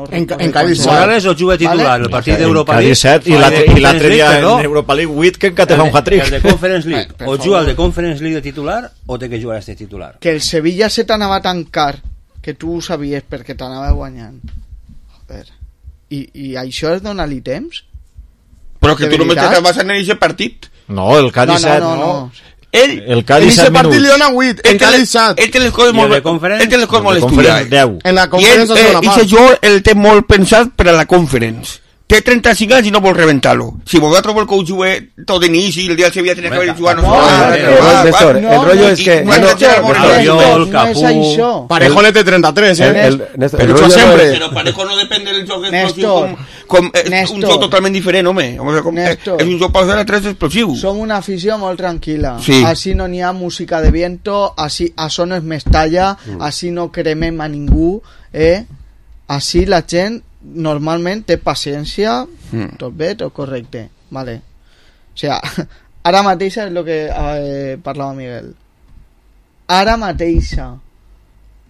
Cádiz Morales o juga titular el partit d'Europa League. Cádiz 7 i l'altre dia en Europa League 8 que encara fa un hat-trick. El de Conference League. O juga el de Conference League de titular o té que jugar este titular. Que el Sevilla se t'anava tan car que tu ho sabies perquè t'anava guanyant. Joder. I això és donar-li temps? Però que tu només te vas anar a aquest partit. No, el Cádiz 7 no. El Cádiz 7 minuts. Partit li dona 8, el Cádiz 7. Ell té les coses molt estudiades. 10. En la conferència és una part. I aquest jugador el té molt pensat per a la conference. Té 35 anys i no vol reventar-lo. Si vosaltres vol que ho jugui tot d'inici i el dia del Sevilla tenia que haver jugat... Néstor, el rollo és que... No és això. Parejo le té 33, Però Parejo no depèn del joc explosiu és un joc totalment diferent, home. És un joc per 3 explosiu. Som una afició molt tranquil·la. Sí. Així no n'hi ha música de viento, així això no és Mestalla, així no cremem a ningú, així la gent normalment té paciència, tot bé, tot correcte, vale. O sea, ara mateixa és el que parlava Miguel, ara mateixa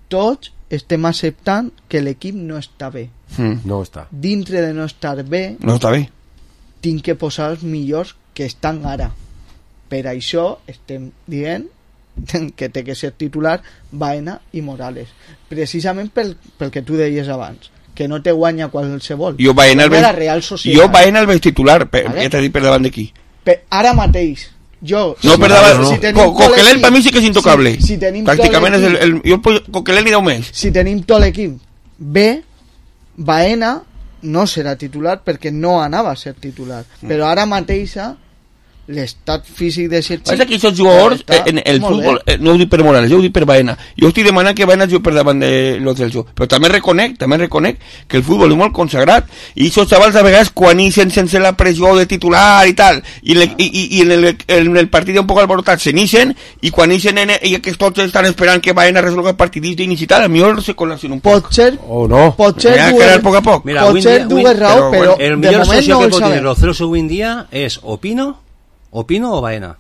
tots estem acceptant que l'equip no està bé, no està. Dintre de no estar bé tinc que posar els millors que estan ara. Per això estem dient que té que ser titular Baena i Morales, precisament pel que tu deies abans, que no te guanya qualsevol. Jo Baena el veig titular, ja t'he dit per davant d'aquí. Ara mateix, jo... No, per davant, Coquelin per mi sí que és intocable. Pràcticament és el... Jo Coquelin li deu més. Si tenim tot l'equip bé, Baena no serà titular perquè no anava a ser titular. Però ara mateixa l'estat físic de Sergi... Passa que aquests jugadors en el futbol, no ho dic per Morales, jo ho dic per Baena. Jo estic demanant que Baena jugui per davant de los Celso, però també reconec que el futbol és molt consagrat i aquests xavals a vegades quan ixen sense la pressió de titular i tal, i en el partit un poc alborotat se n'ixen, i quan ixen i que tots estan esperant que Baena resolgui el partit d'inici i tal, a mi se col·lapsen un poc. Potser dues raó, però el millor socio que pot tenir los Celso avui en dia és Opino o Baena.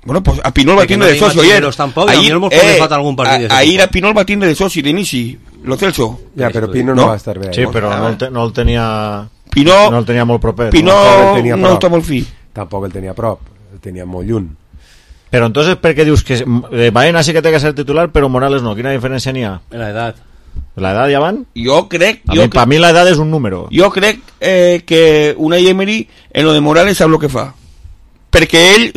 Bueno, pues a Pinol va tindre de soci ayer. Ahir a Pinol va tindre de soci d'inici, lo Celso. Ja, però Pino no va estar bé. Sí, però no el tenia... No el tenia molt proper. Pino no està molt fi. Tampoc el tenia a prop, el tenia molt lluny. Però entonces, per què dius que Baena sí que té que ser titular, però Morales no? Quina diferència n'hi ha? La edat. ¿La edad ya van? Yo creo... Para mí la edad es un número. Yo creo que Unai Emery en lo de Morales sap lo que fa. Perquè ell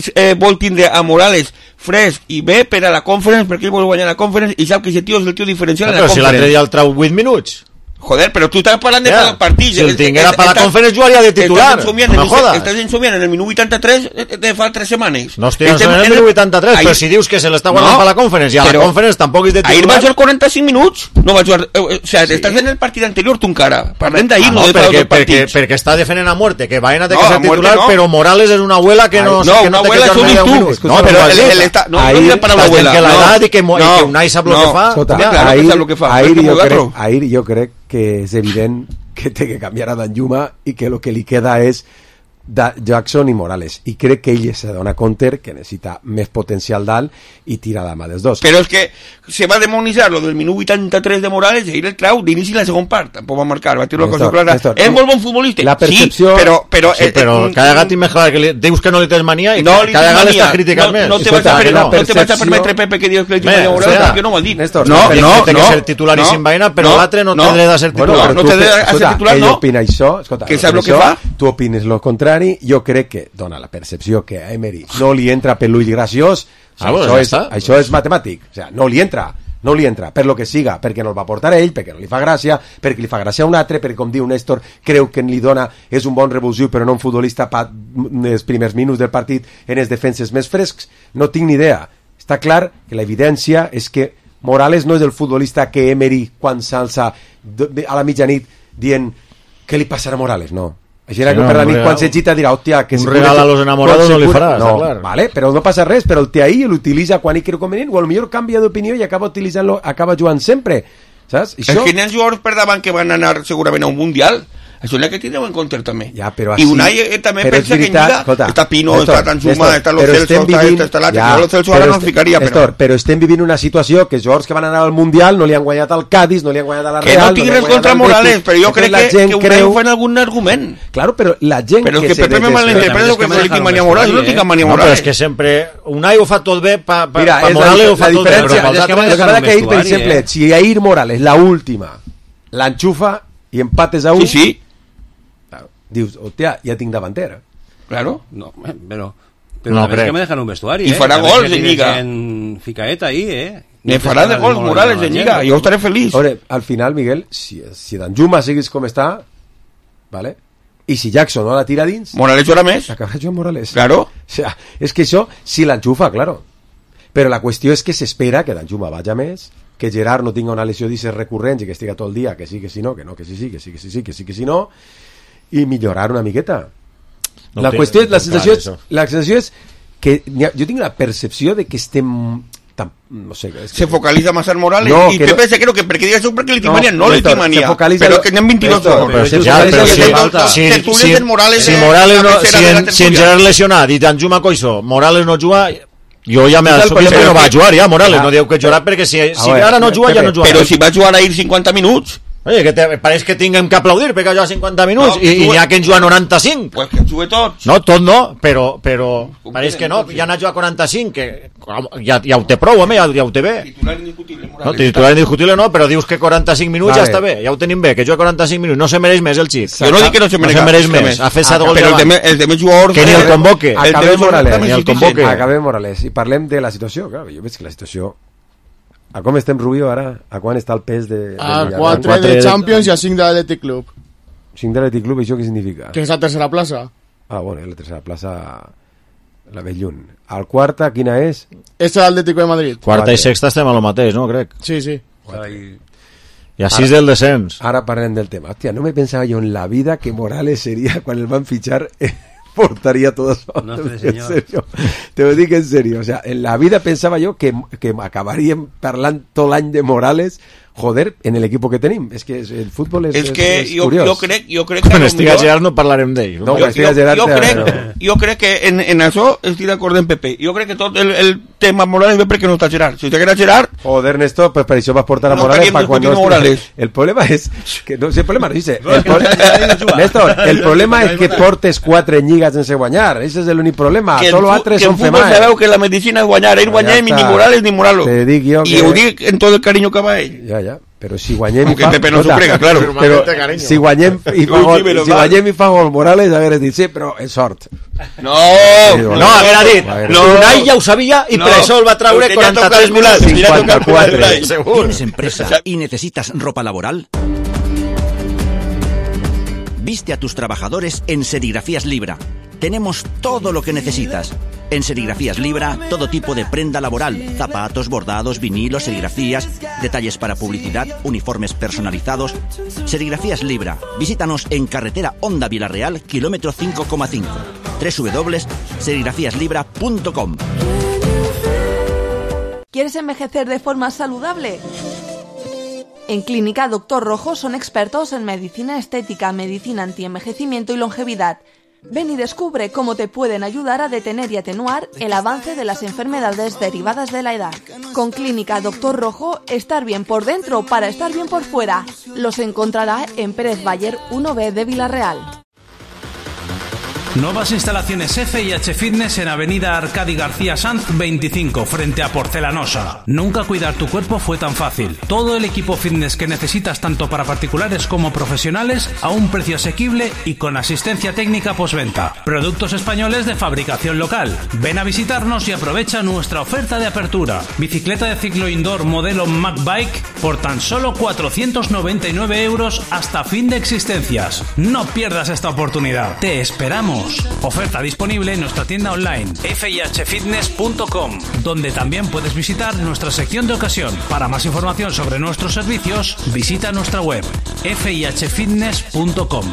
vol tindre a Morales fresc i bé per a la Conference, perquè ell vol guanyar la Conference i sap que aquest tio és el tio diferencial de la Conference. Però si l'altre dia el trau 8 minuts. Joder, pero tú estás hablando de cada partido. Si el tinguera para la Conference jugaría de titular. No jodas. Estás ensumiendo en el minuto 83 de fa 3 setmanes. No estic ensumiendo en el minuto 83, però si dius que se l'està guardant para la Conference i a la Conference tampoc és de titular. Ahir va jugar 45 minuts. No va jugar, o sea, estás en el partit anterior tu encara. Parlem d'ahir, no de fa dos partits. Perquè està defendent a muerte que Baena té que ser titular, però Morales és una abuela que no té que jugar ni 10 minuts. No, però no és para la abuela. Que l'edat i que Unai sap lo que fa. Ahir jo crec que és evident que té que canviar a Danjuma i que el que li queda és Jackson i Morales, i crec que ell se dona compte que necessita més potencial dalt i tira la mà dels dos. Però és que se va demonitzar lo del minut 83 de Morales i ahir el trau d'inici la segon part, tampoc va marcar, va tirar una cosa clara. És molt bon futbolista, la percepció... sí, però cada gat i més clar que dius que no li tens mania i cada gat l'estàs criticant més. No te vas a permetre, Pepe, que dius que li tens mania a Morales, perquè no ho ha dit. No, té que ser titular i sin Baena, però l'altre no té dret a ser titular. No té dret a ser titular, no. Ell opina això, escolta, que sap el que fa. Tu opines lo contrari. Jo crec que dona la percepció que a Emery no li entra per l'ull graciós. Això és matemàtic, o sea, no li entra per lo que siga, perquè no el va portar ell, perquè no li fa gràcia, perquè li fa gràcia a un altre, perquè com diu Néstor creu que li dona, és un bon revulsiu però no un futbolista per els primers minuts del partit en els defenses més frescs. No tinc ni idea. Està clar que l'evidència és que Morales no és el futbolista que Emery quan s'alça a la mitjanit dient què li passarà a Morales? No. Així era que per la nit quan se gita dirà, hòstia, que un regal a los enamorados no li faràs, no, clar. Vale, però no passa res, però el té ahí, l'utilitza quan hi creu convenient, o potser canvia d'opinió i acaba utilitzant-lo, acaba jugant sempre, saps? Això... És que n'hi ha jugadors per davant que van anar segurament a un Mundial. Això és el que tindreu en compte també. Ja, però I Unai també pensa que en Lliga està Pino, està Tanzuma, està Lo Celso, està l'altre. Jo Lo Celso ara no el ficaria. Però estem vivint una situació que jugadors que van anar al Mundial no li han guanyat al Cádiz, no li han guanyat a la Real... Que no tinc res contra Morales, però jo crec que Unai ho fa en algun argument. Claro, però la gent que se malinterpreta que no li tinc mania a Morales, no tinc mania a Morales. No, però és que sempre Unai ho fa tot bé, pa Morales ho fa tot bé. La diferència, que per exemple, si ahir Morales, la última, l'enxufa i empates a un... Sí. Dius, hostia, ya tengo davantera. Claro. No, pero no es que me dejan un vestuario. Y fará gols en Liga. En Ficaeta ahí, Me farà de gols Morales en Liga. Jo estaré feliç. Ahora, al final, Miguel, si Danjuma siguis com està, ¿vale? Y si Jackson no la tira dins... Morales jugarà més. Acabarà jugant Morales. Claro. O sea, es que això, si l'enxufa, claro. Però la qüestió és que s'espera que Danjuma vaja més, que Gerard no tinga una lesió d'isses recurrents i que estiga tot el dia, que sí, que sí, no, que no, que sí, que sí, que sí, que sí, que sí, no, i millorar una miqueta. No, la qüestió és, la sensació és que jo tinc la percepció de que estem no sé, se focalitza más en Morales y Pepe se creo que porque diga eso porque le timania no le timania pero que en 22 si en Gerard lesionat i Danjuma coixo Morales no juga jo ja m'assumís que no va jugar ja Morales no diu que jugarà perquè si ara no juga ja no juga però si va jugar a ir 50 minuts oye, que pareix que tinguem que aplaudir perquè ha jugat 50 minuts i n'hi ha que en juga 95 pues que en jugue tots no, tot no, però pareix que no, ja n'ha jugat 45 que ja ho té prou, home, ja ho té bé titular indiscutible no, titular indiscutible no, però dius que 45 minuts ja està bé, ja ho tenim bé, que juga 45 minuts no se mereix més el xic jo no dic que no se mereix més ha fet 7 gols però els demés jugadors que ni el convoque acabem Morales i parlem de la situació, clar, jo veig que la situació a com estem, Rubio, ara? A quan està el pes de a 4 de Champions i a 5 de l'Athletic Club. 5 de l'Athletic Club, això què significa? Que és la tercera plaça. Ah, bueno, la tercera plaça la veig lluny. Al quarta, quina és? És l'Atlético de Madrid. Quarta i sexta estem a lo mateix, no, crec? Sí. I a 6 del descens. Ara parlem del tema. Hòstia, no me pensava jo en la vida que Morales seria, quan el van fitxar... portaría todo eso. No, en serio. Te lo digo en serio. O sea, en la vida pensaba yo que acabarían parlando todo l'any de Morales, joder, en el equipo que tenim. És que el futbol és curiós. Jo crec que... Quan estiga Gerard no parlarem d'ell. No, jo crec que en això estic d'acord amb Pepe. Jo crec que tot el tema Morales ve perquè no està Gerard. Si estiguera Gerard... Joder, Néstor, pues per això vas portar a Morales para cuando... Morales. El problema es que... No, si el problema dice... Néstor, el problema es que portes 4 lligues sense guanyar. Ese és l'únic problema. Solo A3 són females. Que el futbol sabeu que la medicina és guanyar. Ell guanyar ni Morales ni Moralo. Te dic jo que... I ho dic en tot el carinyo que va ell. Ja. Però si guanyem i fa... Pepe no s'ho crega, claro. Però si guanyem i fa gol Morales, hagués dit sí, però és sort. No, haguera dit. Unai ja ho sabia i per això el va traure 43 minuts. 54. ¿Tienes empresa y necesitas ropa laboral? Viste a tus trabajadores en Serigrafías Libra. Tenemos todo lo que necesitas. En Serigrafías Libra, todo tipo de prenda laboral, zapatos, bordados, vinilos, serigrafías, detalles para publicidad, uniformes personalizados. Serigrafías Libra. Visítanos en carretera Honda Villarreal, kilómetro 5,5. www.serigrafíaslibra.com. ¿Quieres envejecer de forma saludable? En Clínica Doctor Rojo son expertos en medicina estética, medicina antienvejecimiento y longevidad. Ven y descubre cómo te pueden ayudar a detener y atenuar el avance de las enfermedades derivadas de la edad. Con Clínica Doctor Rojo, estar bien por dentro para estar bien por fuera. Los encontrará en Pérez Bayer 1B de Villarreal. Nuevas instalaciones F&H Fitness en Avenida Arcadi García Sanz 25, frente a Porcelanosa. Nunca cuidar tu cuerpo fue tan fácil. Todo el equipo fitness que necesitas tanto para particulares como profesionales a un precio asequible y con asistencia técnica postventa. Productos españoles de fabricación local. Ven a visitarnos y aprovecha nuestra oferta de apertura. Bicicleta de ciclo indoor modelo MacBike por tan solo 499 € hasta fin de existencias. No pierdas esta oportunidad. Te esperamos. Vamos, oferta disponible en nuestra tienda online fihfitness.com, donde también puedes visitar nuestra sección de ocasión. Para más información sobre nuestros servicios, visita nuestra web fihfitness.com.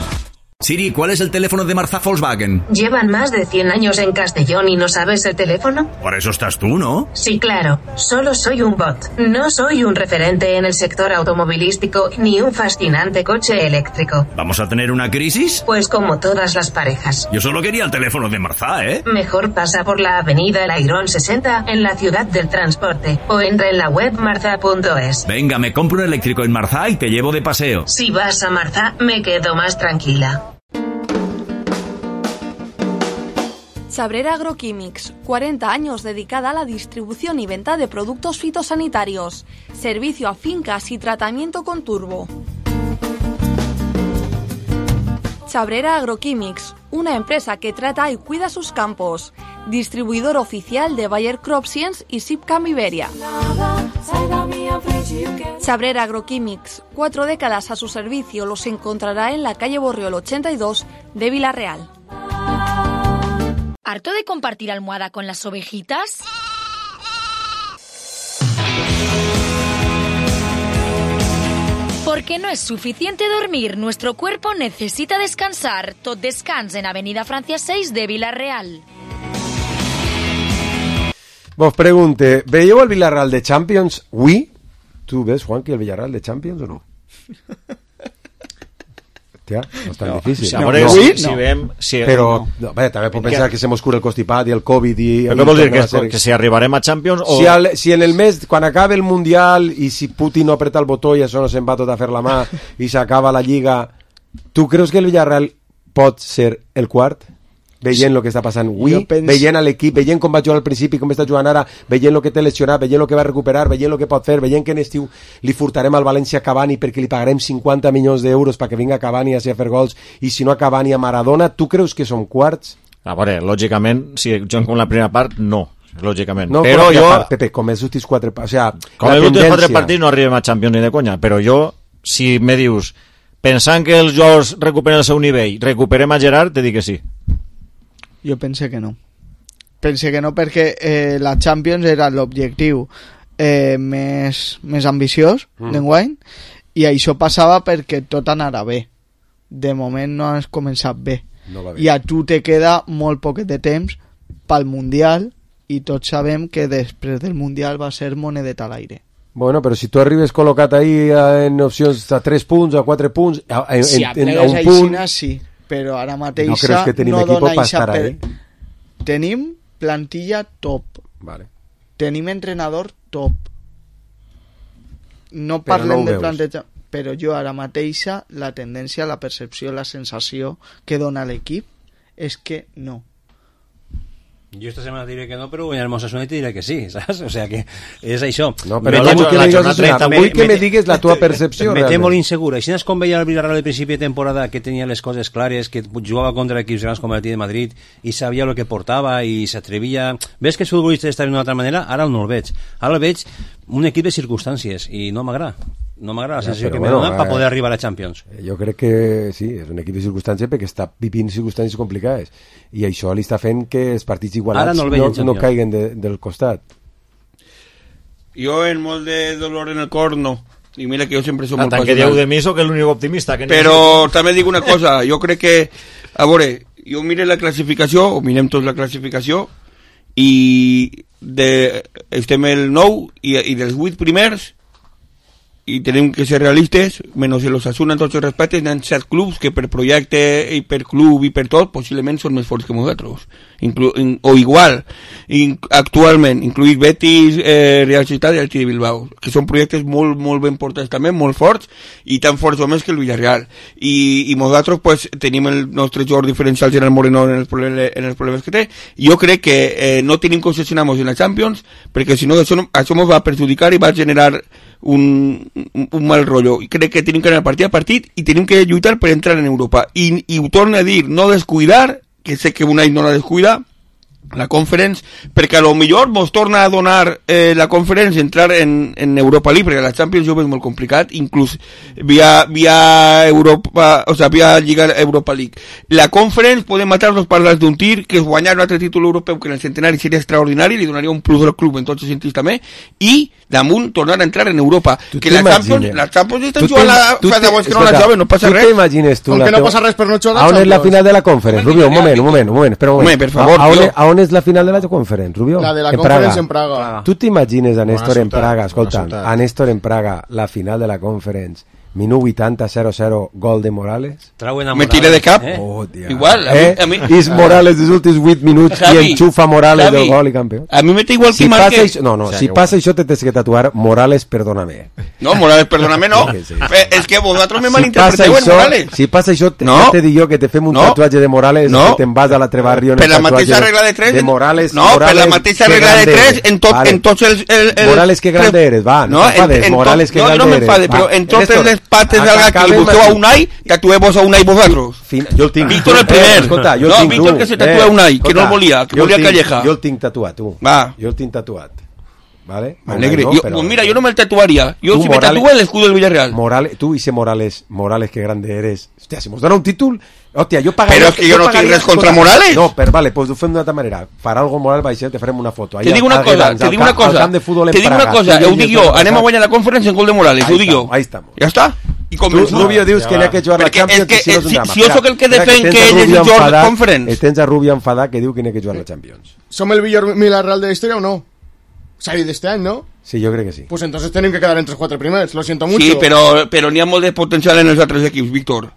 Siri, ¿cuál es el teléfono de Marzá Volkswagen? ¿Llevan más de 100 años en Castellón y no sabes el teléfono? Para eso estás tú, ¿no? Sí, claro. Solo soy un bot. No soy un referente en el sector automovilístico ni un fascinante coche eléctrico. ¿Vamos a tener una crisis? Pues como todas las parejas. Yo solo quería el teléfono de Marzá, ¿eh? Mejor pasa por la avenida El Airón 60 en la ciudad del transporte o entra en la web marza.es. Venga, me compro un eléctrico en Marzá y te llevo de paseo. Si vas a Marzá, me quedo más tranquila. Sabrera Agroquímics, 40 años dedicada a la distribución y venta de productos fitosanitarios, servicio a fincas y tratamiento con turbo. Sabrera Agroquímics, una empresa que trata y cuida sus campos, distribuidor oficial de Bayer CropScience y Sipcam Iberia. Sabrera Agroquímics, 4 décadas a su servicio, los encontrará en la calle Borriol 82 de Villarreal. ¿Harto de compartir almohada con las ovejitas? Porque no es suficiente dormir, nuestro cuerpo necesita descansar. Tot descans en Avenida Francia 6 de Villarreal. Vos pregunte, ¿veieu el Villarreal de Champions? ¿Oui? ¿Tú ves, Juanqui, el Villarreal de Champions o no? Hòstia, no és tan difícil. Si, amore, si veiem... Però, bé, també pot pensar que se mos cura el constipat i el Covid i... Però què vol dir? Que si arribarem a Champions o... Si en el mes, quan acabe el Mundial i si Putin no apreta el botó i això no se'n va tot a fer la mà i s'acaba la Lliga, tu creus que el Villarreal pot ser el quart? Veient el que està passant avui, veient l'equip, veient com va jugar al principi, com està jugant ara, veient el que té lesionat, veient el que va recuperar, veient el que pot fer, veient que en estiu li furtarem al València a Cavani perquè li pagarem 50 milions d'euros perquè vinga Cavani a fer gols i si no a Cavani a Maradona, tu creus que són quarts? A veure, lògicament, si juguen com la primera part, no. Lògicament. No, però jo... Pepe, com els últims 4 partits... O sea, com els últims 4 partits no arribem a Champions ni de conya, però jo, si me dius, pensant que els jugadors recuperen el seu nivell, recuperem a Gerard, te dic que sí. Jo pense que no. Pense que no perquè la Champions era l'objectiu més ambiciós d'enguany i això passava perquè tot anara bé. De moment no has començat bé. No va bé. I a tu te queda molt poquet de temps pel Mundial i tots sabem que després del Mundial va ser monedet a l'aire. Bueno, però si tu arribes col·locat ahí en opcions a 3 punts, a 4 punts, a un punt... Sí, però ara mateix no creus que tenim equip per estar ahí? Tenim plantilla top. Vale. Tenim entrenador top. No parlem de plantilla, però jo ara mateixa la tendència, la percepció, la sensació que dona l'equip és que no. Jo esta setmana diré que no, però guanyarem Osasuna i te diré que sí, saps? O sea que és això. No, però vull que me digues la tua percepció. Me té molt insegura. I si és com veia el Villarreal al principi de temporada, que tenia les coses clares, que jugava contra equips grans com el Atlètic de Madrid i sabia el que portava i s'atrevia... Ves que els futbolistes estaven d'una altra manera? Ara no el veig. Ara el veig un equip de circumstàncies i no m'agrada. No m'agrada la sensació que me dona per poder arribar a la Champions. Jo crec que sí, és un equip de circumstàncies perquè està vivint circumstàncies complicades i això li està fent que els partits igualats no caiguen del costat. Jo en molt de dolor en el cor no, i mira que jo sempre soc molt passional. Tant que dieu de mi soc l'únic optimista que però també dic una cosa, jo crec que a veure, jo mire la classificació o mirem tots la classificació i estem el 9 i dels 8 primers i tenim que ser realistes, menys el Osasuna en tots els respectes, hi ha 7 clubs que per projecte i per club i per tot possiblement són més forts que nosaltres o igual actualment, incluït Betis, Real Societat i el Athletic de Bilbao, que són projectes molt, molt ben portats també, molt forts i tan forts o més que el Villarreal i nosaltres pues, tenim el nostre jugador diferencial Gerard Moreno en els problemes que té i jo crec que no tenim que obsessionar-nos en la Champions perquè si no això ens va perjudicar i va generar un mal rotllo i crec que tenim que anar partit a partit i tenim que lluitar per entrar en Europa i ho torno a dir, no descuidar que sé que un any no la descuida la Conference, perquè a lo millor mos torna a donar la Conference entrar en Europa League, perquè la Champions jo veig molt complicat, inclús via Europa, o sea, via Lliga Europa League. La Conference podem matar dos parles d'un tir, que és guanyar un altre títol europeu que en el centenari seria extraordinari, li donaria un plus al club en tots els sentits també, i damunt tornar a entrar en Europa. Que la Champions estan jugant fa 10 anys que no la juguen, no passa res. Tu t'imagines tu com que no passa res per no jugar la Champions? On és la final de la Conference, Rubio? Un moment, espera un moment. Per favor, a on és la final de la Conference, Rubio? La de la Conference en Praga. Tu t'imagines a Néstor en Praga, escolta, a Néstor en Praga, la final de la Conference, minut 80, 0-0, gol de Morales? Me tiré de cap. Igual, a mi... És Morales dels últims 8 minuts i enxufa Morales del gol i campió. A mi me té igual que marque... Si passa això te tens que tatuar Morales, perdóname. No, Morales, perdóname, no. És que vosaltres me malinterpreteu en Morales. Si passa això, te dic jo que te fem un tatuatge de Morales i te'n vas a la Trebarrio per la mateixa regla de 3 de Morales. No, per la mateixa regla de 3 en tots els... Morales, que grande eres, va, no t'enfades. Morales, que grande eres. No m'enfades, però en totes les partes del gat que li busqueu a Unai, tatueu-vos a Unai vosaltres. Jo el tinc. Víctor el primer. Escolta, no, Víctor que se tatua a Unai, que no el volia, que volia Calleja. Jo el tinc tatuat, tu. Va. Jo el tinc tatuat. ¿Vale? Alegre. Mira, yo no me el tatuaría. Yo si me tatúo el escudo del Villarreal. Morales, tú dices Morales, que grande eres. Hostia, si nos dan un título, hostia, yo pagaría... Pero es que yo no tengo res contra Morales. No, pero vale, pues lo fem d'una altra manera. Farà algo Morales, va a te farem una foto. Te digo una cosa, te digo una cosa. Ho dic jo, anem a guanyar la Conference en gol de Morales, ho dic jo. Ahí estamos. Ja està. I tu, Rubio, dius que n'hi ha que jugar la Champions i si no és un drama. Si jo sóc el que defèn que ell és el jugador de Conference. Tens a Rubio enfadat que diu que n'hi ha que jugar la Champions. ¿Som el millor Villarreal de la historia o no? Salir de este año, ¿no? Sí, yo creo que sí. Pues entonces tienen que quedar entre los 4 primeros, lo siento mucho. Sí, pero n'hi ha molt de potencial en els altres equips, Víctor.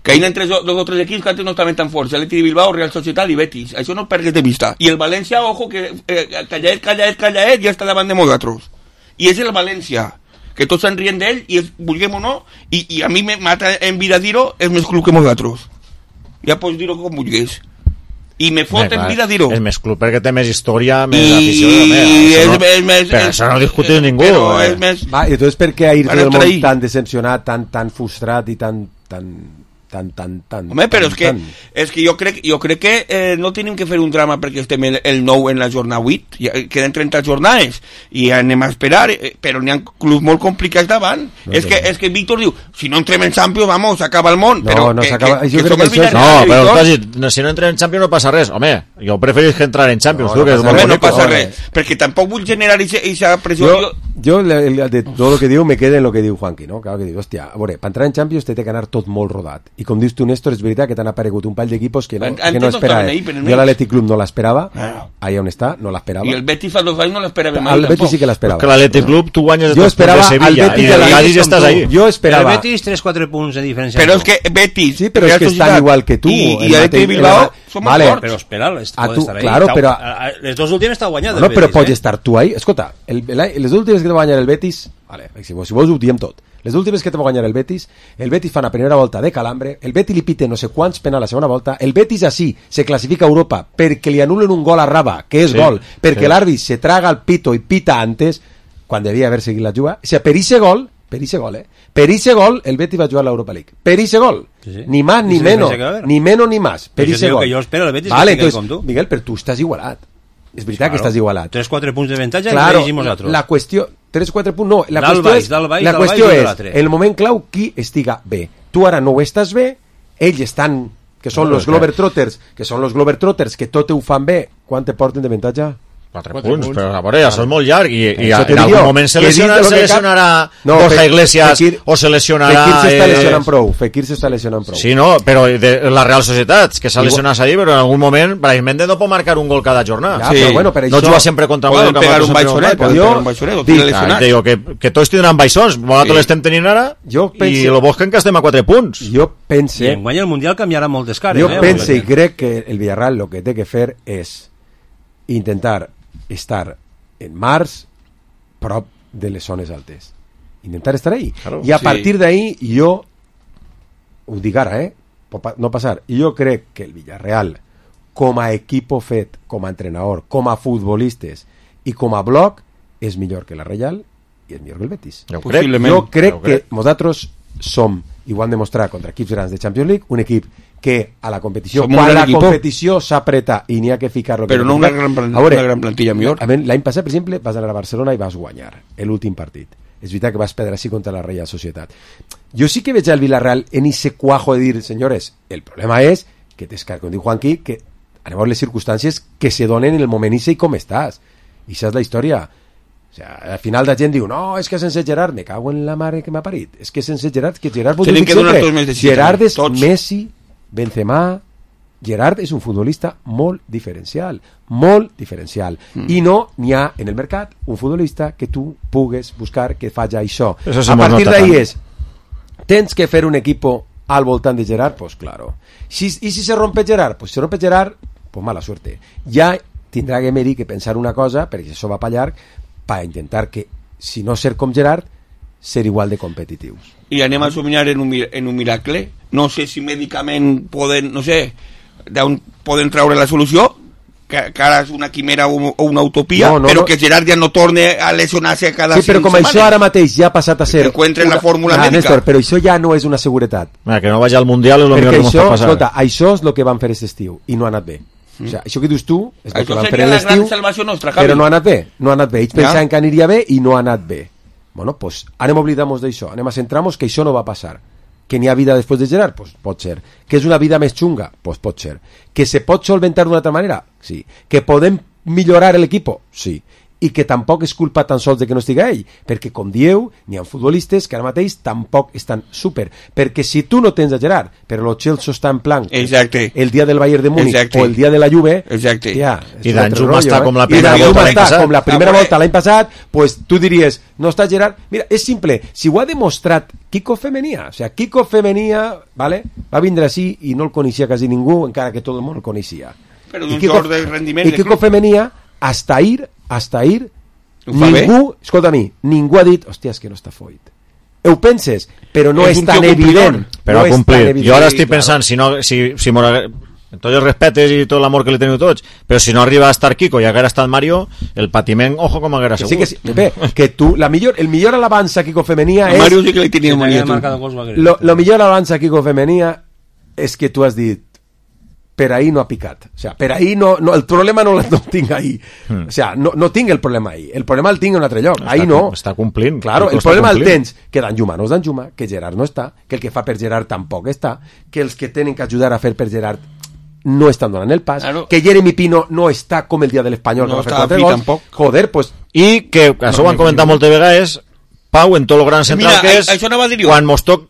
Que hi ha entre dos o tres equips que antes no estaven tan forts. Atleti de Bilbao, Real Societat i Betis. Això no ho pergues de vista. I el València, ojo, que callaet, ja està davant de nosaltres. I és el València, que tots se'n rient d'ell, i vulguem o no, i a mi me mata en vida dir-ho, és més club que nosaltres. Ja pots dir-ho com vulguis. I me fot en vida dir-ho. És més club perquè té més història, més afició. Però això no ho discutis ningú. Va, i entonces per què ir del món tan decepcionat, tan frustrat i tan... Home, però és que jo crec que no tenim que fer un drama perquè estem el 9 en la jornada 8, queden 30 jornades i anem a esperar, però n'hi ha clubs molt complicats davant. És que Víctor diu, si no entrem en Champions, vamos, s'acaba el món. No, s'acaba. No, però si no entrem en Champions no passa res. Home, jo preferís que entrar en Champions. No passa res, perquè tampoc vull generar aquesta pressió. Jo, de tot el que diu, me queda en el que diu Juanqui, no? Claro que diu, hòstia, a veure, per entrar en Champions té que anar tot molt rodat. I com dius tu, Néstor, és veritat que t'han aparegut un pall d'equipos que no esperava. Jo l'Atlètic Club no l'esperava, allà on està, no l'esperava. I el Betis fa 2 anys no l'esperava mai. El Betis sí que l'esperava. Que l'Atlètic Club tu guanyes de Sevilla i el Cádiz ja estàs ahí. Jo esperava. El Betis 3-4 punts de diferència. Però és que Betis... Sí, però és que estan igual que tu. I Atlètic de Bilbao som molt forts. Però espera, pot estar ahí. Claro, però... Les dos últimes està guanyat. No, però pots estar tu ahí. Escolta, les últimes que te va guanyar el Betis... Vale, si vols ho diem tot. Les últimes que te va guanyar el Betis fa una primera volta de calambre, el Betis li pite no sé quants penals a la segona volta, el Betis així se classifica a Europa perquè li anulen un gol a Raba, que és gol, perquè l'àrbit se traga el pito i pita antes, quan devia haver seguit la juga. O sigui, per ese gol, el Betis va jugar a l'Europa League. Per ese gol. Ni más, ni menos. Ni menos, ni más. Per ese gol. Jo espero el Betis vale, entonces, Miguel, però tu estàs igualat. És veritat que estàs igualat. 3-4 punts de avantatge claro, i nosaltres. La qüestió... 3-4 punts, no. La qüestió és el moment clau qui estiga bé. Tu ara no ho estàs bé, ells estan, que són els Globetrotters, que tot ho fan bé. Quant te porten d'avantatge? 4 punts, però a veure, això és molt llarg i en algun moment se lesionarà Borja Iglesias o se lesionarà... Fekir s'està lesionant prou. Sí, no, però la Real Societat, que s'ha lesionat ahí, però en algun moment Brahim Méndez no pot marcar un gol cada jornada. No juga sempre contra un gol. Poden pegar un baixonet. Que tots tindran baixons, nosaltres l'estem tenint ara i el Bosque que estem a 4 punts. Jo pense... I en guany el Mundial canviarà moltes cares. Jo pense i crec que el Villarreal el que té que fer és intentar estar en març prop de les zones altes, intentar estar ahí, i a partir d'ahí jo ho dic ara, no passar, jo crec que el Villarreal com a equipo fet, com a entrenador, com a futbolistes i com a bloc és millor que la Reial i és millor que el Betis. Jo crec que nosaltres som, i ho han demostrat contra equips grans de Champions League, un equip que a la competició, Som quan la equip. competició s'apreta i n'hi ha que ficar-lo... Però no una gran plantilla millor. L'any passat, per exemple, vas anar a Barcelona i vas guanyar l'últim partit. És veritat que vas perdre així contra la Real Societat. Jo sí que veig al Villarreal en ese cuajo de dir, senyores, el problema és que com diu Juanqui, que anem a veure les circumstàncies que se donen en el moment i com estàs. I això és la història. O sea, al final la gent diu, no, és que sense Gerard, me cago en la mare que m'ha parit. És que sense Gerard, que Gerard... Tenen que donar tots més de sí. Gerard és Messi, Benzema... Gerard és un futbolista molt diferencial, i no n'hi ha en el mercat un futbolista que tu pugues buscar que faci això. A partir d'ahí és, tens que fer un equip al voltant de Gerard, pues claro. I si se rompe Gerard, pues mala suerte. Ja tindrà Emery que pensar una cosa, perquè això va pa llarg, per intentar que, si no ser com Gerard, ser igual de competitius. I anem a somiar en un miracle. No sé si mèdicament poden, no sé, d'on poden treure la solució, que ara és una quimera o una utopia, però que Gerard ja no torne a lesionar-se cada 5 setmanes. Sí, però com això ara mateix ja ha passat a ser... Que encuentren la fórmula mèdica. Néstor, però això ja no és una seguretat. Que no vagi al Mundial és el millor que ens pot passar. Escolta, això és el que van fer aquest estiu, i no ha anat bé. O sea, això que dius tu és el que van fer l'estiu, però no ha anat bé. Ells pensaven que aniria bé i no ha anat bé. Bueno, pues anem a oblidar-nos d'això, anem a centrar-nos que això no va passar. Que n'hi ha vida després de Gerard? Pues pot ser. Que és una vida més xunga? Pues pot ser. Que se pot solventar d'una altra manera? Sí. Que podem millorar l'equip? Sí. I que tampoc és culpa tan sols de que no estigui ell, perquè com dieu, n'hi ha futbolistes que ara mateix tampoc estan súper, perquè si tu no tens a Gerard, però lo Chelsea està en plan el dia del Bayern de Múnich o el dia de la Juve, ja, i Danjuma està com la primera volta l'any passat, pues tu diries, no està Gerard. Mira, és simple, si ho ha demostrat Kiko Femenia, o sea, Kiko Femenia, ¿vale? Va vindre així i no el coneixia quasi ningú, encara que tot el món el coneixia. Però d'un sort de rendiment. I Kiko Femenia, hasta ahir ningú, escolta a mi, ningú ha dit, hòstia, és que no està foit. Ho penses, però no és tan evident. Però ha complit. Jo ara estic pensant, si amb tots els respetes i tot l'amor que li teniu tots, però si no arriba a estar Kiko i haguera estat Mario, el patiment, ojo com haguera segut. Sí, Pepe, que tu, el millor alabança a Kiko Femenia és... Mario sí que li tenia Mario. Lo millor alabança a Kiko Femenia és que tu has dit per ahí no ha picat. O sea, per ahí no el problema no el tinc ahí. O sea, no tinc el problema ahí. El problema el tinc en un altre lloc. Ahí no. Està complint. Claro, el problema el tens que Danjuma no és Danjuma, que Gerard no està, que el que fa per Gerard tampoc està, que els que tenen que ajudar a fer per Gerard no estan donant el pas, que Jeremy Pino no està com el dia de l'Espanyol, no que va fer 4 gols. Joder, pues... I que, això ho han comentat moltes vegades, Pau, en tot lo gran central que és,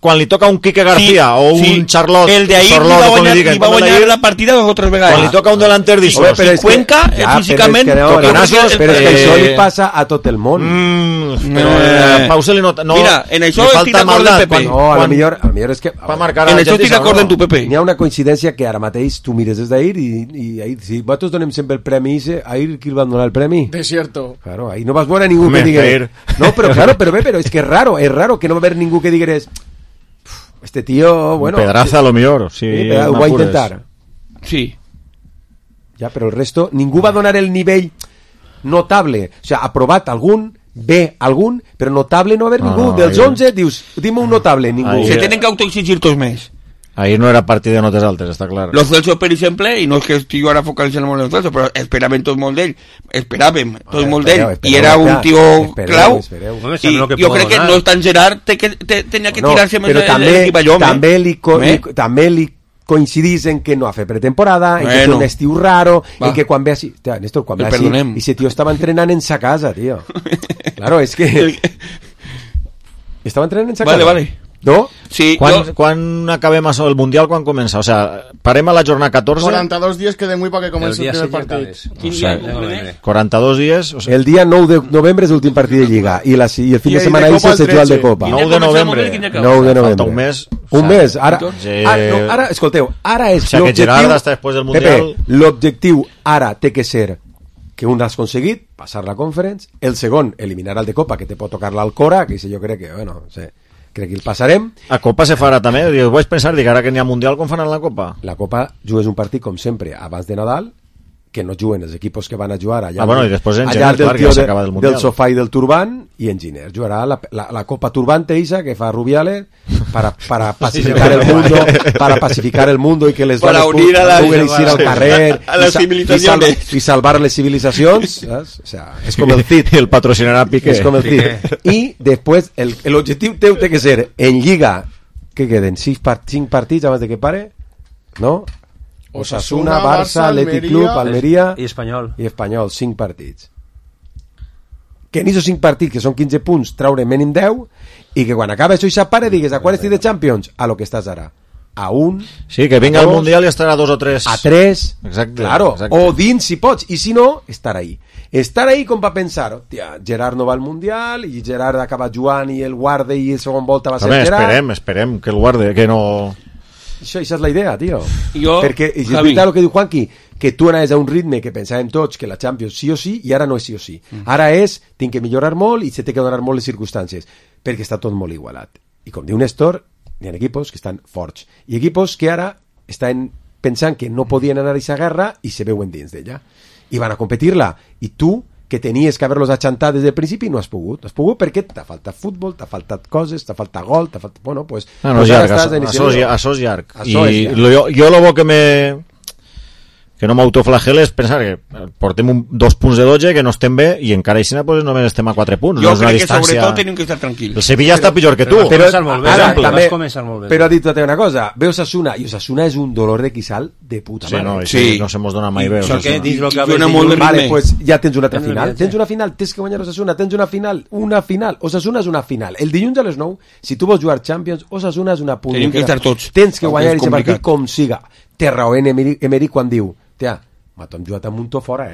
quan li toca un Quique García o un Charlotte, el de ahí li va guanyar la partida 2 o 3 vegades. Quan li toca un delanter d'això, Cuenca, físicament, però és que això li passa a tot el món. Però Pau se li nota... Mira, en això estic d'acord amb Pepe. No, a lo millor és que... En això estic d'acord amb tu, Pepe. N'hi ha una coincidència que ara mateix tu mires des d'ahir i ahir, si vosaltres donem sempre el premi ahir qui el van donar el premi? Desierto. Claro, ahir no vas veure ningú que digués... No, però claro, però és que es raro que no va haver ningú que digués este tío, bueno... Pedraza a lo millor, sí, ho va intentar. Sí. Ja, però el resto, ningú va donar el nivell notable. O sea, aprovat algun, bé algun, però notable no va haver ningú. Dels 11, dius, dime un notable, ningú. Se tenen que autoexigir tots més. Ahí no era partit de notes altes, està clar. Los Celso, per exemple, i no és que estigui ara focalitzant molt en els Celso, però esperàvem tots molt d'ell, i era un tio clau, i jo crec que no és tan Gerard, tenia que tirar-se més l'equip allò. També li coincidís en que no ha fet pretemporada, en que té un estiu raro, en que quan ve així... Néstor, quan ve així, i ese tio estava entrenant en sa casa, tio. Claro, és que... Estava entrenant en sa casa. Vale. No? Sí, quan acabem això, el Mundial quan comença? O sea, parem a la jornada 14... 42 días queden muy para que comenci el primer partit. 42 días... O sea, el dia 9 de novembre és l'últim partit de Lliga i el fin de setmana ahí se juga el de Copa. 9 de novembre. 9 de novembre. Falta un mes. Un mes. Ara, escolteu, ara és l'objectiu... O sea, que Gerard està després del Mundial... Pepe, l'objectiu ara té que ser que un l'has aconseguit, passar la Conference, el segon, eliminar el de Copa, que te pot tocar l'Alcora, que jo crec que, bueno, no sé... crec que el passarem. A Copa se farà també, vaig pensar, dic, ara que n'hi ha Mundial, com faran la Copa? La Copa jugues un partit, com sempre, abans de Nadal, que no juguen els equipos que van a jugar allà, i després en gener, clar, que s'acaba del Mundial. Del sofà i del Turban, i en gener jugarà la Copa Turbante, Isa, que fa Rubiales, para pacificar el mundo, para pacificar el mundo y que les para dones unir a la puguen ir al carrer a las civilizaciones y salvar les civilizacions, ¿sabes? O sea, es como el CID, el patrocinarà Piqué, es como el CID. Y después el objetivo teu té que ser en Lliga, que queden 5 partits abans de que pare, ¿no? Osasuna, Barça, Athletic Club, Almeria i Espanyol. 5 partits. Que en esos 5 partits, que són 15 punts, traure mínim 10, i que quan acaba això i s'apare digues a quan estic de Champions? A lo que estàs ara. A 1, sí, que vinga al Mundial i estarà a 2 o 3. A 3, exacte, claro, exacte. O dins si pots, i si no, estar ahí. Estar ahí com va pensar, hòstia, Gerard no va al Mundial, i Gerard acaba jugant i el guarde i el segon volta va ser Gerard. Esperem que el guarde, que no... Això és la idea, tio. Jo, perquè és veritat el que diu Juanqui, que tu anaves a un ritme que pensàvem tots que la Champions sí o sí, i ara no és sí o sí. Ara és, tinc que millorar molt i se té que donar molt les circumstàncies, perquè està tot molt igualat. I com diu Néstor, hi ha equipos que estan forts, i equipos que ara estan pensant que no podien anar a aquesta guerra i se veuen dins d'ella. I van a competir-la, i tu, que tenies que haver-los achantat des del principi, no has pogut. No has pogut perquè t'ha faltat futbol, t'ha faltat coses, t'ha faltat gol, t'ha faltat... Bueno, pues... No, és llarg, això és llarg. I jo lo bo que no m'autoflagel és pensar que portem 2 punts de 12, que no estem bé, i encara així pues, només estem a 4 punts. Jo no crec que sobretot tenim que estar tranquils. El Sevilla està pitjor que tu. Però ha dit tota una cosa, ve Osasuna, i Osasuna és un dolor de quissal de puta mare. Sí, no se mos dona mai bé. Vale, pues ja tens una altra final. Tens una final, tens que guanyar Osasuna, tens una final. Osasuna és una final. El dilluns a les 9, si tu vols jugar Champions, Osasuna és una punta. Tenim que estar tots. Tens que guanyar aquest partit com siga. Té raó Emery quan diu: tia, m'ha jugat a Muntó fora,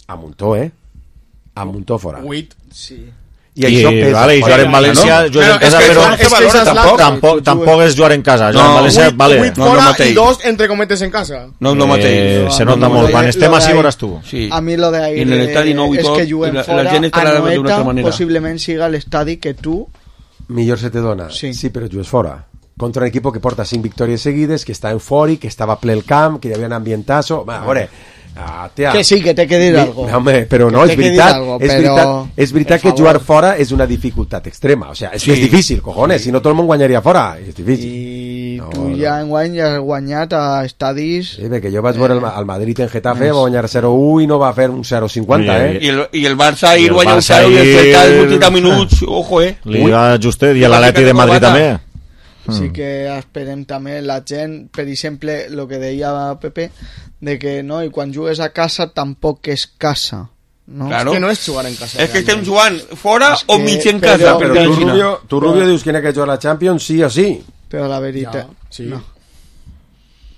A Muntó fora. 8, sí. I això pesa. Vale, i jugar en València, jugar en casa, però tampoc és jugar en casa. Jugar en València, vale. 8 fora i 2 entre cometes en casa. No, no mateix. Se nota molt. Quan estem així veuràs tu. A mi lo de ahí és que juguen fora, Anoeta possiblement siga l'estadi que tu... Millor se te dona. Sí, però jugues fora. Contra un equipo que porta 5 victòries seguides, que està eufòric, que estava ple el camp, que hi havia un ambientazo. A veure, que sí, que té que dir algo. Home, però no, és veritat que jugar fora és una dificultat extrema. O sea, és que és difícil, cojones, si no tot el món guanyaria fora. És difícil. I tu ja enguany has guanyat a estadis... Sí, perquè jo vaig veure al Madrid en Getafe, va guanyar 0-1 i no va fer un 0-50, I el Barça ahir guanya un 0 i el Celta als 80 minuts, ojo, Li va justet, i l'Atleti de Madrid també. Sí que esperem també la gent, per exemple, el que deia Pepe, de que no, i quan jugues a casa tampoc és casa, no? Claro. És que no és jugar en casa. És que estem jugant fora o mig en casa. Però tu, Rubio, dius que n'hi ha que jugar a la Champions sí o sí. Però la veritat... Sí. No.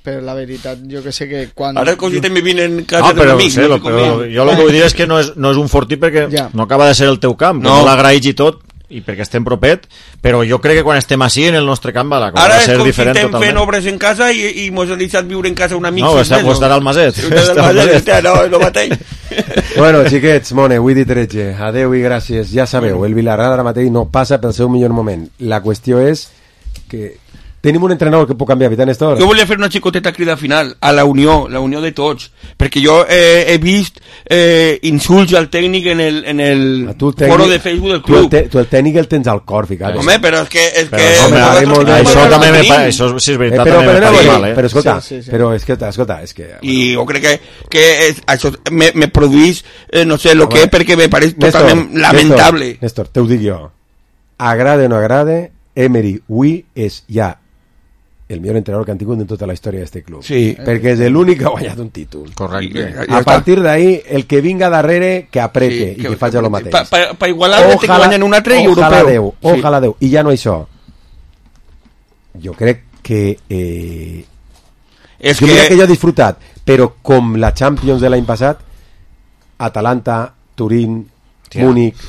Però la veritat, jo que sé que quan... Ara cosites me vinen en casa d'un amic. Però jo el que vull dir és que no és un fortí perquè no acaba de ser el teu camp, que no l'agraïs i tot, i perquè estem propet, però jo crec que quan estem així en el nostre camp va ser diferent totalment. Ara és com si estem fent obres en casa i mos hem deixat viure en casa un amic. No, estarà al Maset. No, no mateix. Bueno, xiquets, Mone, avui dit 13. Adeu i gràcies. Ja sabeu, el Villarreal ara mateix no passa pel seu millor moment. La qüestió és que tenim un entrenador que pot canviar, Vitan Néstor. Jo volia fer una xicoteta crida final a la unió de tots, perquè jo he vist insults al tècnic en el foro de Facebook del club. Tu el tècnic el tens al cor, ficat. Home, però és que... Això també això sí és veritat, també m'ha mal, però escolta, és que... I jo crec que això me produís, no sé, lo que és, perquè me pareix totalment lamentable. Néstor, te ho dic jo. Agrade o no agrade, Emery avui és ja el millor entrenador que han tingut en tota la història d'aquest club. Sí. Perquè és l'únic que ha guanyat un títol. Correcte. A partir d'ahí, el que vinga darrere, que aprete i que faci el mateix. Per igualar-le, té que guanyar un altre i europeu. Ojalà Déu. I ja no això. Jo crec que... jo diria que jo he disfrutat, però com la Champions de l'any passat, Atalanta, Turín, Múnich...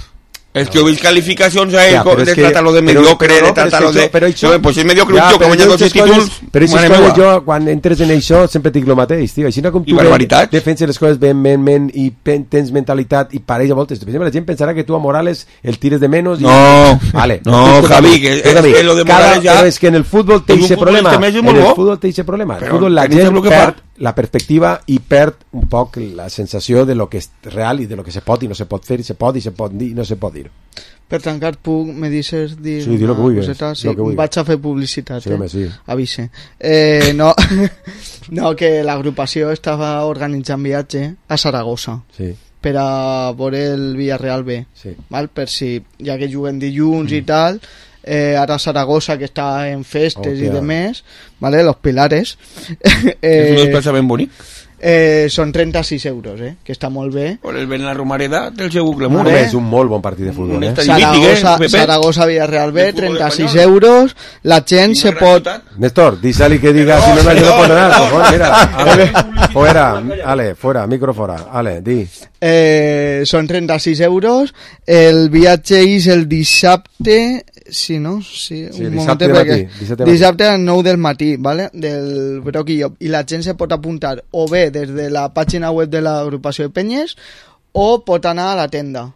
Es que veis calificacions a él de tratarlo de mediocre, de tratarlo de... Pues es mediocre un tío que guanya 12 títols... Però aquestes coses jo, quan entres en això, sempre dic el mateix, tio. Així com tu defenses les coses ben i tens mentalitat i pareix a voltes. La gent pensarà que tu a Morales el tires de menos... No, Javi, que lo de Morales ja... Però és que en el futbol té aquest problema. En el futbol té aquest problema. El futbol la perspectiva i perd un poc la sensació de lo que és real i de lo que se pot i no se pot fer, i se pot dir i no se pot dir. Per tancar, me dices dir sí, una coseta? Sí, vaig a fer publicitat, sí, home, sí. Avise. No, que l'agrupació estava organitzant viatge a Saragossa. Sí. Per a veure el Villarreal B. Sí. Val? Per si, ja que juguen dilluns i tal, ara Saragossa, que està en festes i demés, ¿vale? Los Pilares. És un desplaçament ben bonic. Són 36 euros, que està molt bé. Per el Ben la Romareda del seu glamour. És un molt bon partit de futbol. Saragossa Villarreal B, 36 euros. La gent se pot... Néstor, dísali que diga si no me ayuda por nada. Mira, fuera, micro fora. Ale, di. Són 36 euros. El viatge és el dissabte... Sí, no? Sí, un dissabte moment, dissabte a les 9 del matí, ¿vale? Del Broc i Llop. I la gent se pot apuntar o bé des de la pàgina web de l'agrupació de Penyes o pot anar a la tenda.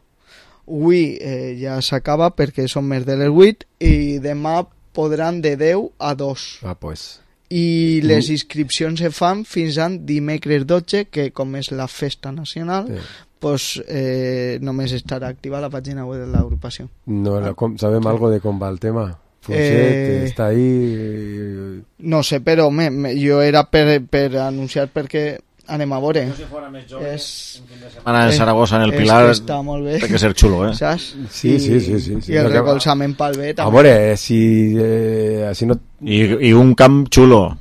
Avui ja s'acaba perquè són més de les 8 i demà podran de 10 a 2. I les inscripcions se fan fins a dimecres 12, que com és la festa nacional, pues només estarà activa la pàgina web de l'agrupació. No, ¿sabem algo de com va el tema? Fuset, està ahí... No sé, però jo era per anunciar perquè anem a veure. Si fora més jove, un fin de setmana en Saragossa, en el Pilar, està molt bé. Té que ser xulo, Saps? Sí. I el recolzament pel bé també. A veure, si no... I un camp xulo,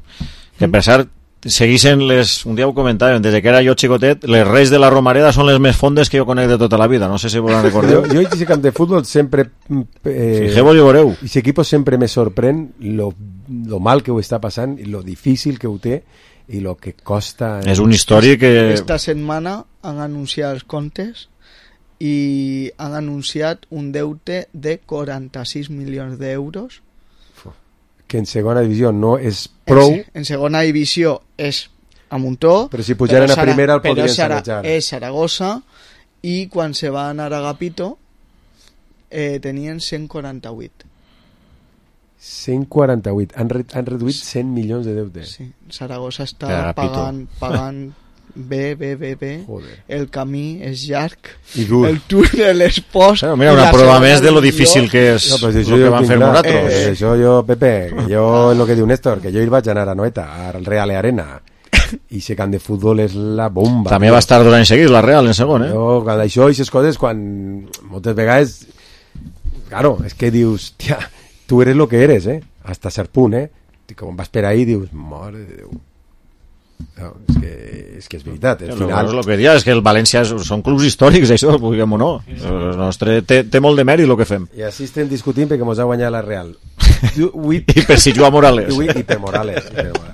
que per cert, segueixen un dia ho comentàvem, des que era jo xicotet, les Reis de la Romareda són les més fondes que jo conec de tota la vida, no sé si vos en recordeu. Jo en aquest camp de futbol sempre... Fixeu-vos i veureu. I aquest equip sempre me sorprèn lo mal que ho està passant i lo difícil que ho té i lo que costa... És un històric que... Esta setmana han anunciat els comptes i han anunciat un deute de 46 milions d'euros. Que en segona divisió no és prou. En segona divisió és a muntó, però si pujaren a primera el podrien sanejar. És Saragossa i quan se va anar a Agapito tenien 148. 148. Han reduït 100 milions de deute. Sí, Saragossa està pagant bé. Joder. El camí és llarg, el túnel és post. Mira, una prova més de lo difícil que és el que van fer nosaltres. Això jo, Pepe, jo en lo que diu Néstor, que jo hi vaig anar a Noeta, al Real Arena, i ese camp de futbol és la bomba. També va estar 2 anys seguits la Real en segon, Quan això i aquestes coses, quan moltes vegades, claro, és que dius, tia, tu eres lo que eres, hasta cert punt, com vas per ahí, dius, mare de Déu. No, és que és veritat. Al final... El que dia és que el València són clubs històrics, això, vulguem o no. El nostre té molt de mèrit el que fem. I així estem discutint perquè ens ha guanyat la Real. I per si juga Morales. I per Morales.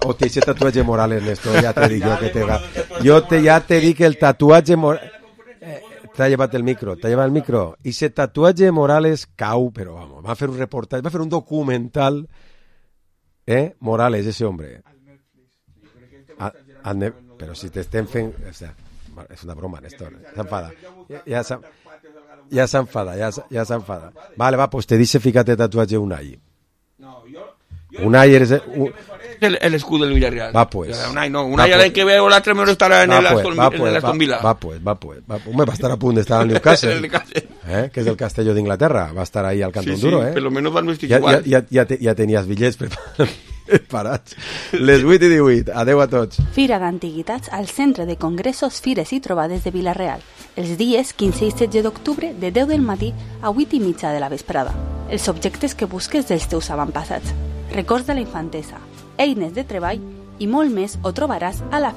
Hòstia, ese tatuatge Morales, Néstor, ja te dic jo que te va. Ja te dic el tatuatge Morales... T'ha llevat el micro. I ese tatuatge Morales cau, però vamos, va fer un reportatge, va fer un documental, Morales, ese hombre. Però si t'estem fent... O sea, és una broma, Néstor. S'enfada. Ja s'enfada. Vale, va, pues te dice, fíjate tatuatge Unai. Unai eres... El escudo del Villarreal. Va, pues. Unai al que veo l'altre me estarà en l'Aston Villa. Va, pues. Va estar a punt d'estar al Newcastle. Que és el Castelló d'Inglaterra. Va estar ahí al Cantón Duro, per lo menos van vestir igual. Ja tenies bitllets parats. Les 8 i 18. Adeu a tots. Fira d'Antiguitats al Centre de Congressos, Fires i Trobades de Vila-real. Els dies 15 i 16 d'octubre de 10 del matí a 8 i mitja de la vesprada. Els objectes que busques dels teus avantpassats. Records de la infantesa, eines de treball i molt més ho trobaràs a la